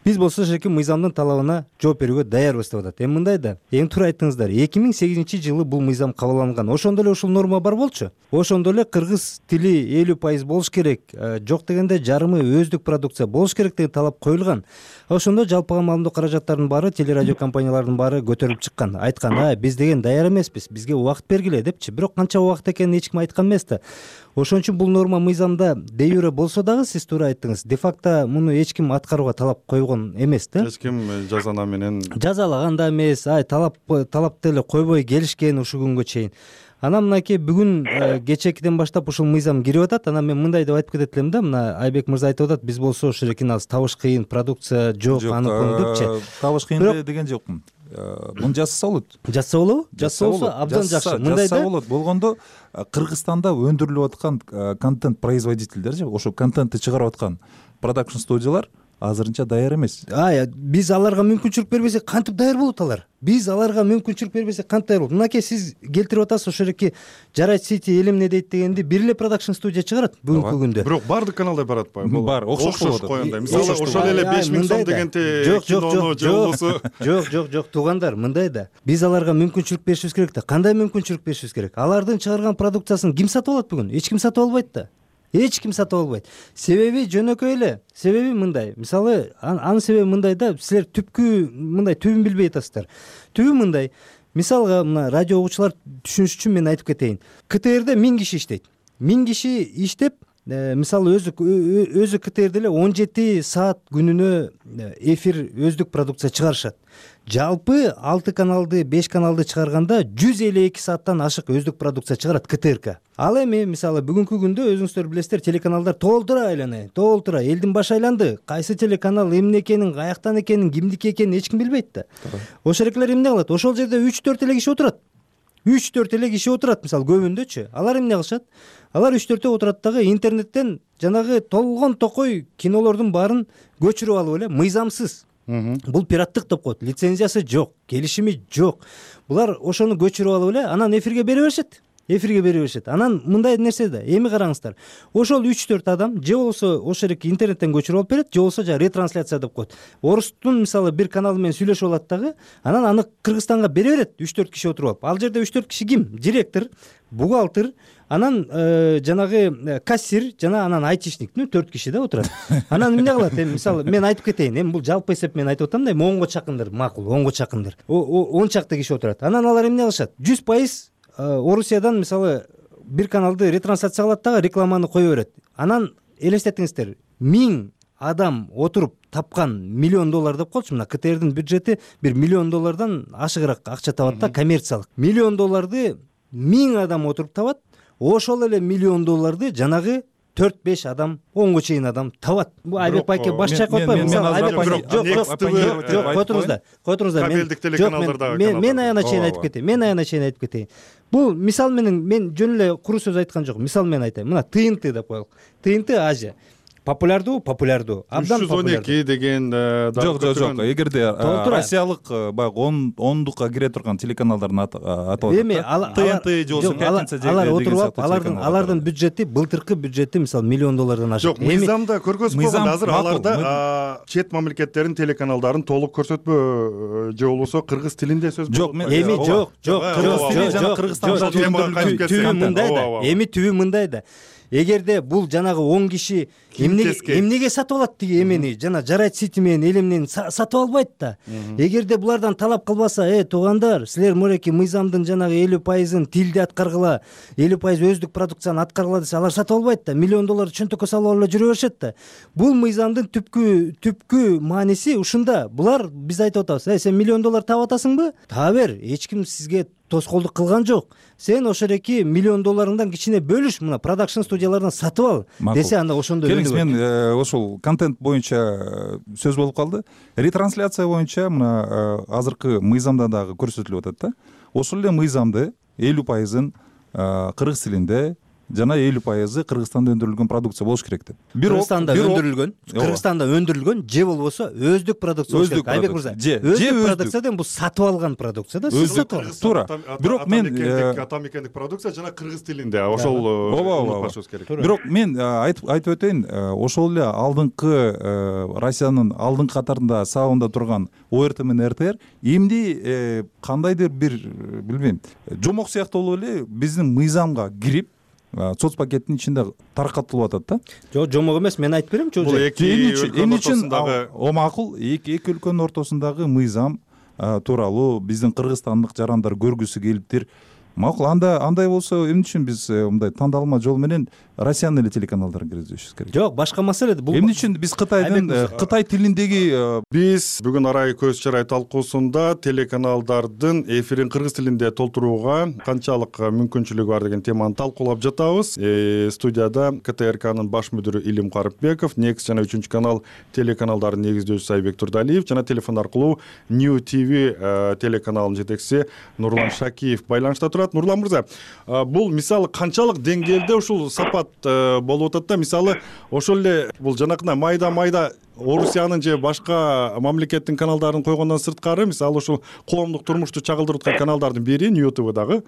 биз болсо ошоки мыйзамдын талабына жооп берүүгө даярбыз деп атат. Эми мындай да, эң туура айттыңыздар. эки миң сегизинчи жылы бул мыйзам кабылган. Ошондо эле ушул норма бар болчу. Ошондо эле кыргыз тили элүү пайыз болуш керек. Жок дегенде жарымы өздүк продукция болуш керек деген талап коюлган. Ошондо жалпыга маалымдоо каражаттарынын баары, телерадио компанияларынын баары көтөрүлүп чыккан. Айткан, а биз деген даяр эмеспиз, бизге убакыт бергиле депчи. Бирок канча убакыт экенин эч ким айткан эмес да. Ошон үчүн бул норма мыйзамда де юре болсо дагы, сиз туура айттыңыз, де факто муну эч ким аткарууга талап койгон эмес да. Эч ким жазана менен жазалаган да эмес, ай талап талапты эле койбой келишкен ушул күнгө чейин. Анан мынакей бүгүн кечекиден баштап ушул мыйзам кирип атат. Анан мен мындай деп айтып кетет элем да, мына Айбек мырза айтып атат, биз болсо ушул эки аз табыш кыйын, продукция жок, аны кон депчи. Табыш кыйын деген жокмун. Муну жасаса болот. Жасаса болобу? Жасаса болсо абдан жакшы. Мындай да болот. Болгондо Кыргызстанда өндүрүлүп аткан контент производительдер же ошо контентти чыгарып аткан продакшн студиялар азырынча даяр эмес. Биз аларга мүмкүнчүлүк бербесек кантип даяр болот алар? Биз аларга мүмкүнчүлүк бербесек кантип даяр болот? Мынакей сиз келтирип атасыз ошол эки жарайт сити эл эмне дейт дегенди бир эле продакшн студия чыгарат бүгүнкү күндө. Бирок баардык каналда барат атпайбы? Бар, окшош болот. Койгондой. Мисалы ошол эле беш миң сом дегенде кинону же болбосо жок, жок, жок, туугандар, мындай да. Биз аларга мүмкүнчүлүк беришибиз керек да. Кандай мүмкүнчүлүк беришибиз керек? Алардын чыгарган продукциясын ким сатып алат бүгүн? Эч ким сатып албайт да. Эч ким сатып албайт. Себеби жөнөкөй эле. Себеби мындай. Мисалы, анын себеби мындай да, силер түпкү мындай түбүн билбей атасыздар. Түбү мындай. Мисалга, мына радио угуучулар түшүнүш үчүн мен айтып кетейин. КТРде миң киши иштейт. миң киши иштеп, мисалы өзү өзү КТРде эле он жети саат күнүнө эфир өздүк продукция чыгарышат. Жалпы алты каналды, беш каналды чыгарганда жүз элүү эки сааттан ашык өздүк продукция чыгарат КТРК. Ал эми мисалы бүгүнкү күндө өзүңүздөр билесиздер, телеканалдар толтура айланат, толтура элдин башы айланды. Кайсы телеканал эмне экенин, каяктан экенин, кимдики экенин эч ким билбейт да. Ошол эклер эмне кылат? Ошол жерде үч төрт эле киши отурат. үч төрт эле киши отурат, мисалы көбүндөчү. Алар эмне кылышат? Алар үч төртөө отурат дагы интернеттен жанагы толгон токой кинолордун баарын көчүрүп алып эле мыйзамсыз. Бул пираттык деп коет. Лицензиясы жок, келишими жок. Булар ошону көчүрүп алып эле анан эфирге бере беришет. Эфирге бере беришет. Анан мындай нерсе да, эми караңыздар. Ошол үч төрт адам же болбосо ошол эки интернеттен көчүрүп алып берет, же болбосо жана ретрансляция деп коет. Орустун мисалы бир каналы менен сүйлөшүп алат дагы, анан аны Кыргызстанга бере берет үч төрт киши отуруп алып. Ал жерде үч төрт киши ким? Директор, бухгалтер, анан жанагы кассир жана анан айтишник, төрт киши да отурат. Анан эмне кылат? Эми мисалы мен айтып кетейин, эми бул жалпы эсеп менен айтып атам да, эми онго чакындыр, макул, онго чакындыр. он чакты киши отурат. Анан алар эмне кылышат? жүз пайыз Орусиядан мисалы бир каналды ретрансляция кылат дагы рекламаны кое берет. Анан элестетиңиздер, миң адам отуруп тапкан миллион доллар деп коелучу, мына КТРдин бюджети бир миллион доллардан ашыгыраак акча табат да, коммерциялык. Миллион долларды миң адам отуруп табат. Ошол эле миллион долларды жанагы төрт беш адам, онго чейин адам табат. Бул Айбек байке баш чайкап атпайбы? Мисалы Айбек жок, жок, жок, кой туруңуздар, кой туруңуздар. Кабелдик телеканалдарда мен мен аяна чейин айтып кетейин. Мен аяна чейин айтып кетейин. Бул мисал менен мен жөн эле куру сөз айткан жокмун. Мисал менен айтайын. Мына ТНТ деп коелук. ТНТ Азия. Популярдуу, популярдуу. Абдан популярдуу. үч жүз он эки деген жок, жок, жок. Эгерде Россиялык баягы ондукка кире турган телеканалдардын аты аталат. Эми ТНТ же болбосо Пятница деген алар отуруп алып, алардын алардын бюджети, былтыркы бюджети мисалы миллион доллардан ашык. Жок, мыйзамда көргөзүп койгон. Азыр аларда чет мамлекеттердин телеканалдарын толук көрсөтпө же болбосо кыргыз тилинде сөз болот. Жок, эми жок, жок, кыргыз тили жана Кыргызстанда түбү мындай да. Эми түбү мындай да. Эгерде бул жанагы он киши эмнеге эмнеге сатып алат тиги эмени, жана жарайт сити менен эл эмнени сатып албайт да. Эгерде булардан талап кылбаса, э туугандар, силер мореки мыйзамдын жанагы элүү пайызын тилде аткаргыла, элүү пайыз өздүк продукцияны аткаргыла десе, алар сатып албайт да. Миллион долларды чөнтөккө салып алып эле жүрө беришет да. Бул мыйзамдын түпкү түпкү мааниси ушунда. Булар биз айтып атабыз, э сен миллион доллар таап атасыңбы? Таба бер. Эч ким сизге тоскоолдук кылган жок. Сен ошол эки миллион долларыңдан кичине бөлүш, мына продакшн студиялардан сатып ал десе, анда ошондой келиңиз. Мен ошол контент боюнча сөз болуп калды. Ретрансляция боюнча мына азыркы мыйзамда дагы көрсөтүлүп атат да. Ошол эле мыйзамды элүү пайызын кыргыз тилинде жана элүү пайызы Кыргызстанда өндүрүлгөн продукция болуш керек деп. Кыргызстанда өндүрүлгөн, Кыргызстанда өндүрүлгөн же болбосо өздүк продукция болуш керек. Айбек мырза, өздүк продукция деген бул сатып алган продукция да, сиз сатып аласыз. Туура. Бирок мен атамекендик продукция жана кыргыз тилинде, ошол унутпашыбыз керек. Бирок мен айтып айтып өтөйүн, ошол эле алдыңкы Россиянын алдыңкы катарында сабында турган О Р Т менен Р Т Р эмди кандайдыр бир билбейм, жомок сыяктуу болуп эле биздин мыйзамга кирип соц пакеттин ичинде таркатылып атат да. Жок, жомок эмес, мен айтып берем. Бул эки эмне үчүн о макул эки өлкөнүн ортосундагы мыйзам тууралуу биздин кыргызстандык жарандар көргүсү келиптир. Макул, анда андай болсо эмне үчүн биз мындай тандалма жол менен Россиянын эле телеканалдарын киргизишибиз керек? Жок, башка маселе. Бул эмне үчүн биз Кытайдын Кытай тилиндеги биз бүгүн арай көз чарай талкуусунда телеканалдардын эфирин кыргыз тилинде толтурууга канчалык мүмкүнчүлүгү бар деген теманы талкуулап жатабыз. Студияда К Т Р Кнын баш мүдүрү Илим Карыпбеков, Next жана үчүнчү канал телеканалдарынын негиздөөчүсү Айбек Турдалиев жана телефон аркылуу New T V телеканалынын жетекчиси Нурлан Шакиев байланышта турат. Нурлан мырза, бул мисалы канчалык деңгээлде ушул сапат сапат болуп атат да. Мисалы ошол эле бул жанакындай майда майда Орусиянын же башка мамлекеттин каналдарын койгондон сырткары, мисалы ошол коомдук турмушту чагылдырып аткан каналдардын бири Нью Т В дагы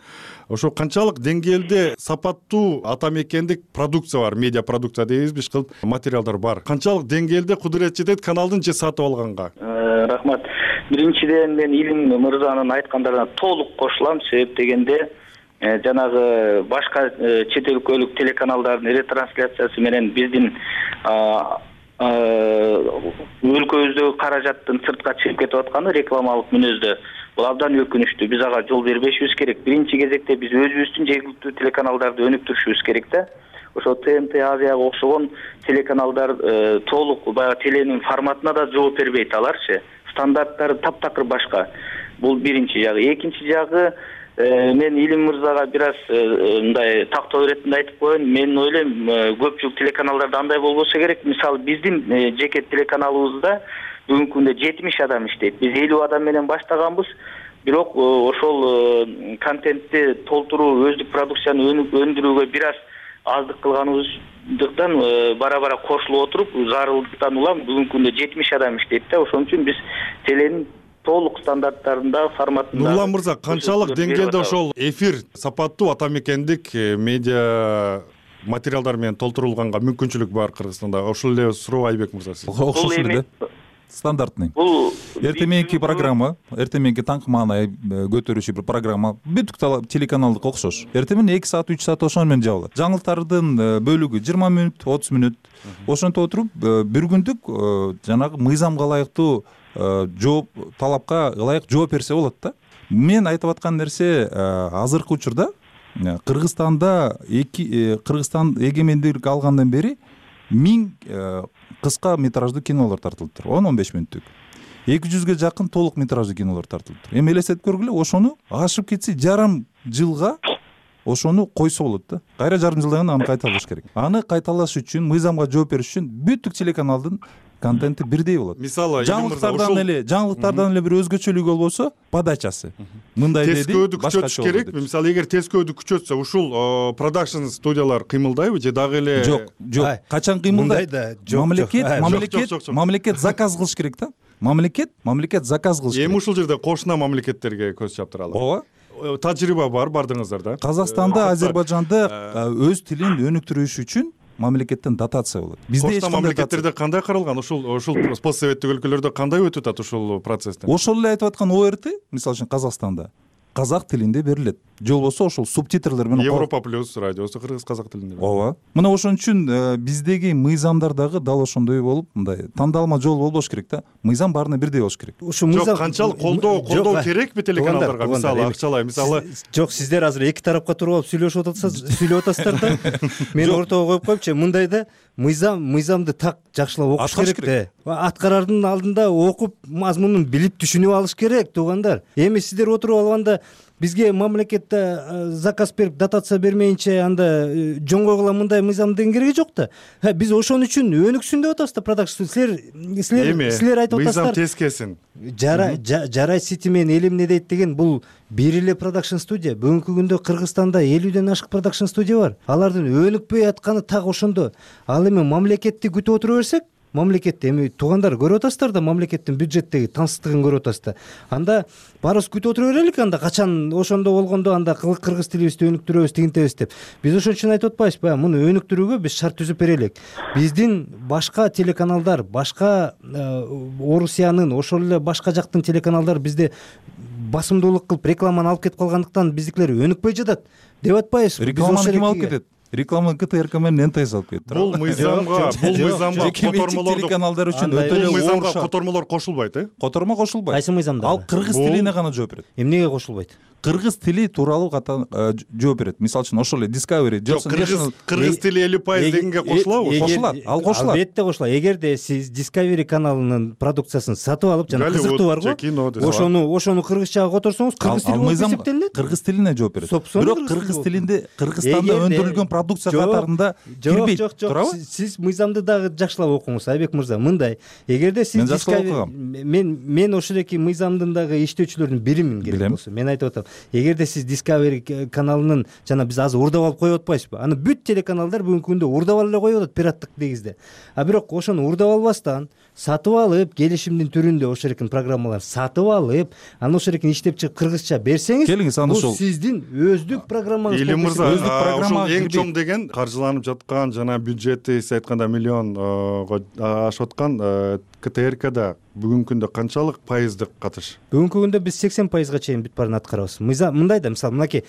ошо канчалык деңгээлде сапаттуу ата мекендик продукция бар, медиа продукция дейбизби, иш кылып материалдар бар. Канчалык деңгээлде кудурет жетет каналдын же сатып алганга? Рахмат. Биринчиден мен Илим мырзанын айткандарына толук кошулам. Себеп дегенде жанагы башка чет өлкөлүк телеканалдардын ретрансляциясы менен биздин өлкөбүздөгү каражаттын сыртка чыгып кетип атканы рекламалык мүнөздө бул абдан өкүнүчтүү. Биз ага жол бербешибиз керек. Биринчи кезекте биз өзүбүздүн жергиликтүү телеканалдарды өнүктүрүшүбүз керек да. Ошо Т Н Т Азияга окшогон телеканалдар толук баягы теленин форматына да жооп бербейт аларчы. Стандарттары таптакыр башка. Бул биринчи жагы. Экинчи жагы, мен Илим мырзага бир аз мындай тактоо иретинде айтып коеюн. Мен ойлойм, көпчүлүк телеканалдарда андай болбосо керек. Мисалы биздин жеке телеканалыбызда бүгүнкү күндө жетимиш адам иштейт. Биз элүү адам менен баштаганбыз. Бирок ошол контентти толтуруу, өздүк продукцияны өндүрүүгө бир аз аздык кылганыбыздыктан бара бара кошулуп отуруп, зарылдыктан улам бүгүнкү күндө жетимиш адам иштейт да. Ошон үчүн биз теленин толук стандарттарында, форматында. Нурлан мырза, канчалык деңгээлде ошол эфир сапаттуу ата мекендик медиа материалдар менен толтурулганга мүмкүнчүлүк бар Кыргызстанда? Ошол эле суроо Айбек мырза сиз. Окшош эле да. Стандартный. Эртең мененки программа, эртең мененки таңкы маанай көтөрүүчү бир программа бүт телеканалдык окшош. Эртең менен эки саат, үч саат ошону менен жабылат. Жаңылыктардын бөлүгү жыйырма мүнөт, отуз мүнөт. Ошентип отуруп бир күндүк жанагы мыйзамга ылайыктуу жооп, талапка ылайык жооп берсе болот да. Мен айтып аткан нерсе, азыркы учурда Кыргызстанда эки Кыргызстан эгемендик алгандан бери миң кыска метраждуу кинолор тартылыптыр. он он беш мүнөттүк. эки жүзгө жакын толук метраждуу кинолор тартылыптыр. Эми элестетип көргүлө, ошону ашып кетсе жарым жылга ошону койсо болот да. Кайра жарым жылдан кийин аны кайталаш керек. Аны кайталаш үчүн, мыйзамга жооп бериш үчүн бүттүк телеканалдын контенти бирдей болот. Мисалы, жаңылыктардан эле, жаңылыктардан эле бир өзгөчөлүгү болбосо, подачасы. Мындай деди, тескөөдү күчөтүш керекпи? Мисалы, эгер тескөөдү күчөтсө, ушул продакшн студиялар кыймылдайбы же дагы эле? Жок, жок. Качан кыймылдайт? Мамлекет, мамлекет, мамлекет заказ кылыш керек да. Мамлекет, мамлекет заказ кылыш керек. Эми ушул жерде кошуна мамлекеттерге көз чаптыралы. Ооба. Тажрыйба бар, бардыңыздар да. Казакстанда, Азербайжанда өз тилин өнүктүрүш үчүн мамлекеттен дотация болот. Бизде эч кандай мамлекеттерде кандай каралган? Ушул ушул постсоветтик өлкөлөрдө кандай өтүп атат ушул процесстен? Ошол эле айтып аткан О Р Т, мисалы үчүн Казакстанда казак тилинде берилет. Же болбосо ошол субтитрлер менен. Европа плюс радиосу кыргыз казак тилинде. Ооба. Мына ошон үчүн биздеги мыйзамдар дагы дал ошондой болуп, мындай тандалма жол болбош керек да. Мыйзам баарына бирдей болуш керек. Ушу мыйзам канчалык колдоо, колдоо керекпи телеканалдарга? Мисалы, акчалай, мисалы, жок, сиздер азыр эки тарапка туруп алып сүйлөшүп атасыздар, сүйлөп атасыздар да. Мен ортого коюп коюпчу, мындай да, мыйзам, мыйзамды так жакшылап окуш керек да. Аткарардын алдында окуп, мазмунун билип түшүнүп алыш керек, туугандар. Эми сиздер отуруп алганда бизге мамлекетте заказ берип, дотация бермейинче анда жоңгойгула мындай мыйзамдын кереги жок да. Биз ошон үчүн өнүксүн деп атабыз да продакшн. Силер силер силер айтып атасыздар. Мыйзам тескесин. Жарай, жарай, Сити мен элим эмне дейт деген бул бир эле продакшн студия. Бүгүнкү күндө Кыргызстанда элүүдөн ашык продакшн студия бар. Алардын өнүкпөй атканы так ошондо. Ал эми мамлекетти күтүп отура берсек, мамлекетти эми туугандар көрүп атасыздар да, мамлекеттин бюджеттеги тансыздыгын көрүп атасыздар. Анда баарыбыз күтүп отура берелик, анда качан ошондо болгондо анда кыргыз тилибизди өнүктүрөбүз, тигинтебиз деп. Биз ошон үчүн айтып атпайбызбы? Муну өнүктүрүүгө биз шарт түзүп берелик. Биздин башка телеканалдар, башка Орусиянын, ошол эле башка жактын телеканалдары бизде басымдуулук кылып рекламаны алып кетип калгандыктан биздикилер өнүкпөй жатат деп атпайбызбы? Рекламаны ким алып кетет? Реклама К Т Р К менен Н Т С алып кетти. Бул мыйзамга, бул мыйзамга котормолор телеканалдар үчүн өтө эле мыйзамга котормолор кошулбайт, э? Котормо кошулбайт. Кайсы мыйзамда? Ал кыргыз тилине гана жооп берет. Эмнеге кошулбайт? Кыргыз тили тууралуу жооп берет. Мисалы үчүн ошол эле Discovery, кыргыз тили элүү пайыз дегенге кошулабы? Кошулат, ал кошулат. Албетте кошулат. Эгерде сиз Discovery каналынын продукциясын сатып алып, жана кызыктуу барго, ошону ошону кыргызчага которсоңуз, кыргыз тили болуп эсептелинет. Кыргыз тилине жооп берет. Бирок кыргыз тилинде Кыргызстанда өндүрүлгөн продукция катарында кирбейт. Жок, жок, сиз мыйзамды дагы жакшылап окуңуз, Айбек мырза. Мындай, эгерде сиз Discovery, мен мен ошол эки мыйзамдын дагы иштөөчүлөрүнүн биримин керек болсо, мен айтып атам. эгерде сиз Discovery каналынын жана биз азыр урдап алып коюп атпайбызбы, аны бүт телеканалдар бүгүнкү күндө урдап эле коюп атат пираттык негизде. А бирок ошону урдап албастан сатып алып, келишимдин түрүндө ошол экен программалар сатып алып, аны ошол экен иштеп чыгып кыргызча берсеңиз, келиңиз аны ошол бул сиздин өздүк программаңыз. Илим мырза, ошол эң чоң деген каржыланып жаткан жана бюджети сиз айтканда миллионго ашып аткан КТРКда бүгүнкү күндө канчалык пайыздык катыш? Бүгүнкү күндө биз сексен пайызга чейин бүт баарын аткарабыз. Мындай да, мисалы мынакей,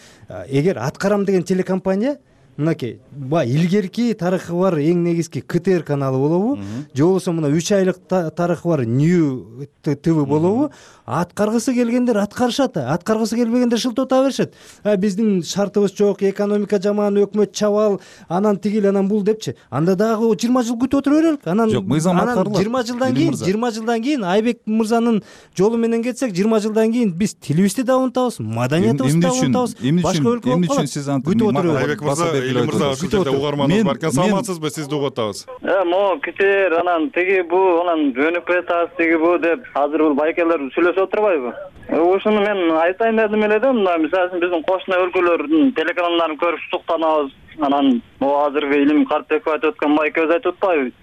эгер аткарам деген телекомпания мынакей баягы илгерки тарыхы бар эң негизги КТР каналы болобу, же болбосо мына үч айлык тарыхы бар New ТВ болобу, аткаргысы келгендер аткарышат, аткаргысы келбегендер шылтыта беришет. Биздин шартыбыз жок, экономика жаман, өкмөт чабал, анан тигил, анан бул депчи. Анда дагы жыйырма жыл күтүп отура берелик. Анан жыйырма жылдан кийин, жыйырма жылдан кийин Айбек мырзанын жолу менен кетсек, жыйырма жылдан кийин биз тилибизди да унутабыз, маданиятыбызды да унутабыз. Башка өлкө болуп калат. Күтүп отура Айбек мырза, Илим мырза, ушул жерде угарманыбыз бар экен. Саламатсызбы? Сизди угуп атабыз. Э, могу КТР анан тиги бу, анан жөнүп кетабыз, тиги бу деп азыр бул байкелер сүйлөшүп отурбайбы? Ушуну мен айтайын дедим эле да, мына мисалы үчүн биздин кошуна өлкөлөрдүн телеканалдарын көрүп суктанабыз. Анан могу азыркы Илим Карпбеков айтып аткан байкебиз айтып атпайбы?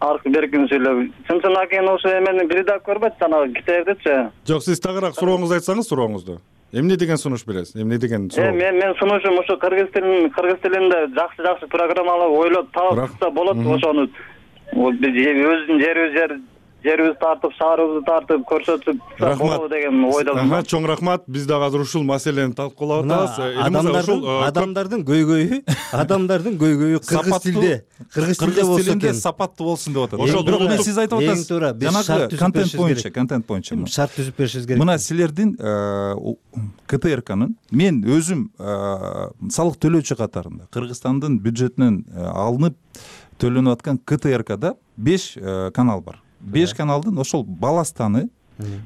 Аркы беркин сүйлөп. Чын-чын акен ошо эмени бир да көрбөйт жанагы КТРдечи. Жок, сиз тагыраак сурооңузду айтсаңыз, сурооңузду. Эмне деген сунуш бересиз? Эмне деген суроо? Э, мен мен сунушум ушу кыргыз тилин, кыргыз тилинде жакшы-жакшы программалар ойлоп таапса болот, ошону биз өзүбүздүн жерибиз жер жерибизди тартып, шаарыбызды тартып көрсөтүп болобу деген ойдомун. Ага, чоң рахмат. Биз дагы азыр ушул маселени талкуулап атабыз. Адамдардын адамдардын көйгөйү, адамдардын көйгөйү кыргыз тилде, кыргыз тилде болсо экен, сапаттуу болсун деп атат. Ошол бирок мен сиз айтып атасыз. Жанагы контент боюнча, контент боюнча шарт түзүп беришибиз керек. Мына силердин КТРКнын мен өзүм салык төлөөчү катарында Кыргызстандын бюджетинен алынып төлөнүп аткан КТРКда беш канал бар. беш каналдын ошол баластаны,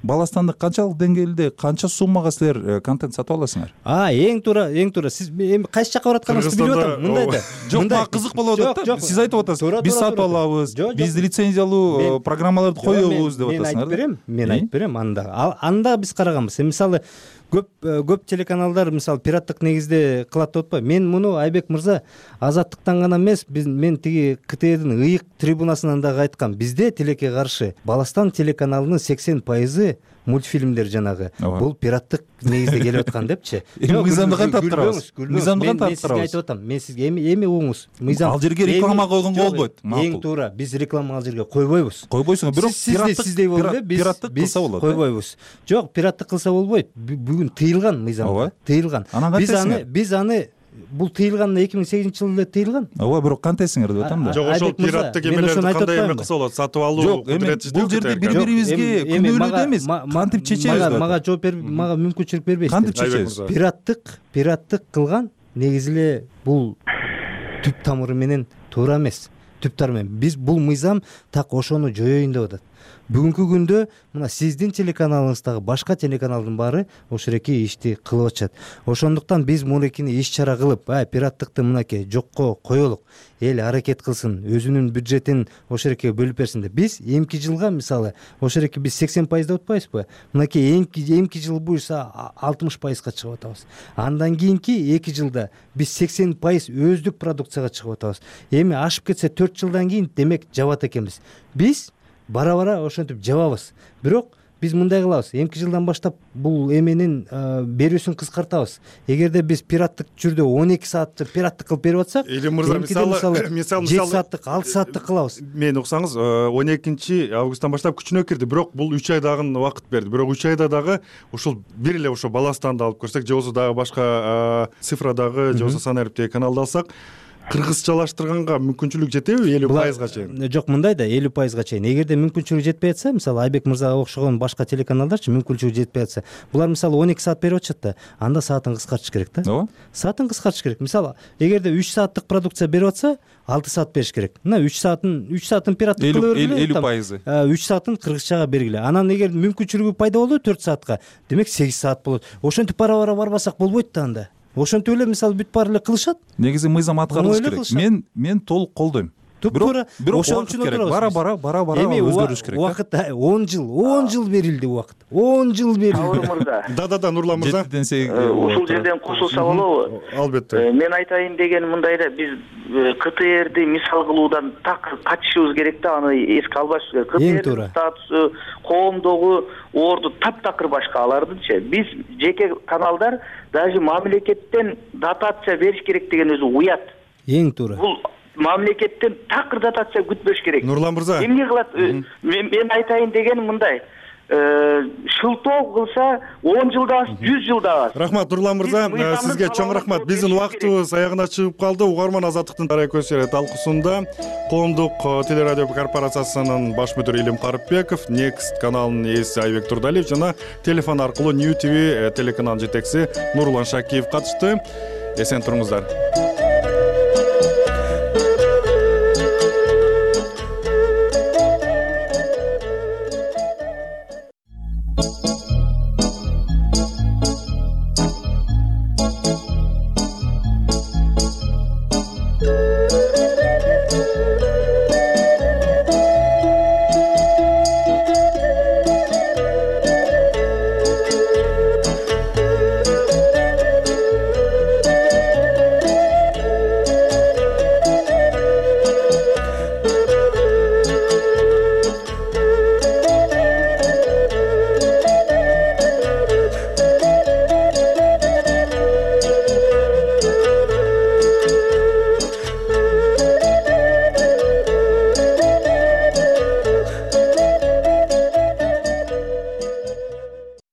баластанды канчалык деңгээлде, канча суммага силер контент сатып аласыңар? А, эң туура, эң туура. Сиз эми кайсы жакка баратканыңызды билип атам. Мындай да. Жок, мага кызык болуп атат да. Сиз айтып атасыз, биз сатып алабыз, биз лицензиялуу программаларды коебуз деп атасыңар. Мен айтып берем, мен айтып берем анда. Анда биз караганбыз. Мисалы көп көп телеканалдар мисалы пираттык негизде кылат деп атпайбы? Мен муну Айбек мырза азаттыктан гана эмес, биз мен тиги КТРдин ыйык трибунасынан дагы айткам. Бизде тилекке каршы Баластан телеканалынын сексен пайызы мультфильмдер жанагы. Бул пираттык негизде келип аткан депчи. Мыйзамды кантип аткарабыз? Мыйзамды кантип аткарабыз? Мен айтып атам. Мен сизге эми эми угуңуз. Мыйзам. Ал жерге реклама койгонго болбойт. Эң туура, биз реклама ал жерге койбойбуз. Койбойсуңар, бирок сиздей болду эле, биз пираттык кылса болот. Койбойбуз. Жок, пираттык кылса болбойт. Бүгүн тыйылган мыйзамда. Тыйылган. Биз аны биз аны бул тыйылган эки миң сегизинчи жылы эле тыйылган. Ооба, бирок кантесиңер деп атам да. Жок, ошол пираттык эмелерди кандай эме кылса болот? Сатып алуу кудурети бул жерде бири-бирибизге күнөөлүү эмес. Кантип чечебиз? Мага жооп берип, мага мүмкүнчүлүк бербейсиз. Кантип чечебиз? Пираттык, пираттык кылган негизи эле бул түп тамыры менен туура эмес. Түп тамыры менен биз бул мыйзам так ошону жоёюн деп атат. Бүгүнкү күндө мына сиздин телеканалыңыздагы башка телеканалдын баары ошереки ишти кылып атышат. Ошондуктан биз мурекини иш чара кылып, а пираттыкты мынакей жокко коелук. Эл аракет кылсын, өзүнүн бюджетин ошереке бөлүп берсин деп. Биз эмки жылга мисалы ошереки биз сексен пайыз деп атпайбызбы? Мынакей эмки эмки жыл буюрса алтымыш пайызга чыгып атабыз. Андан кийинки эки жылда биз сексен пайыз өздүк продукцияга чыгып атабыз. Эми ашып кетсе төрт жылдан кийин демек жабат экенбиз. Биз бара-бара ошентип жабабыз. Бирок биз мындай кылабыз. Эмки жылдан баштап бул эменин берүүсүн кыскартабыз. Эгерде биз пираттык түрдө он эки саатты пираттык кылып берип атсак, Илим мырза, мисалы мисалы жети сааттык, алты сааттык кылабыз. Мен уксаңыз, он экинчи августтан баштап күчүнө кирди, бирок бул үч айдагы убакыт берди. Бирок үч айда дагы ушул бир эле ошо Баластанды алып көрсөк, же болбосо дагы башка цифрадагы, же болбосо сан ариптеги каналды алсак, кыргызчалаштырганга мүмкүнчүлүк жетеби элүү пайызга чейин? Жок, мындай да элүү пайызга чейин. Эгерде мүмкүнчүлүк жетпей атса, мисалы Айбек мырзага окшогон башка телеканалдарчы мүмкүнчүлүк жетпей атса, булар мисалы он эки саат берип атышат да, анда саатын кыскартыш керек да. Ооба. Саатын кыскартыш керек. Мисалы, эгерде үч сааттык продукция берип атса, алты саат бериш керек. Мына үч саатын үч саатын пираттык кылып бергиле. элүү пайызы. үч саатын кыргызчага бергиле. Анан эгер мүмкүнчүлүгү пайда болду төрт саатка, демек сегиз саат болот. Ошентип бара-бара барбасак болбойт да анда. Ошентип эле мисалы бүт баары эле кылышат. Негизи мыйзам аткарылыш керек. Мен мен толук колдойм. туптуура ошон үчүн отурабыз. бара бара бара бара өзгөрүш керек. Убакыт он жыл он жыл берилди убакыт. он жыл берилди. Сабыр мырза. Да да да Нурлан мырза. Ушул жерден кошулса болобу? Албетте. Мен айтайын деген мындай да, биз КТРди мисал кылуудан так качышыбыз керек да, аны эске албашыбыз керек. КТРдин статусу, коомдогу орду таптакыр башка алардынчы. Биз жеке каналдар даже мамлекеттен дотация бериш керек деген өзү уят. Эң туура. Бул мамлекеттен такыр дотация күтпөш керек. Нурлан мырза. Эмне кылат? Мен айтайын деген мындай. Шылтоо кылса он жылда аз, жүз жылда аз. Рахмат Нурлан мырза, сизге чоң рахмат. Биздин убактыбыз аягына чыгып калды. Угарман Азаттыктын тарай көчөрө талкуусунда коомдук телерадио корпорациясынын баш мүдүрү Илим Карыпбеков, Next каналынын ээси Айбек Турдалиев жана телефон аркылуу New ти ви телеканалынын жетекчиси Нурлан Шакиев катышты. Эсен туруңуздар.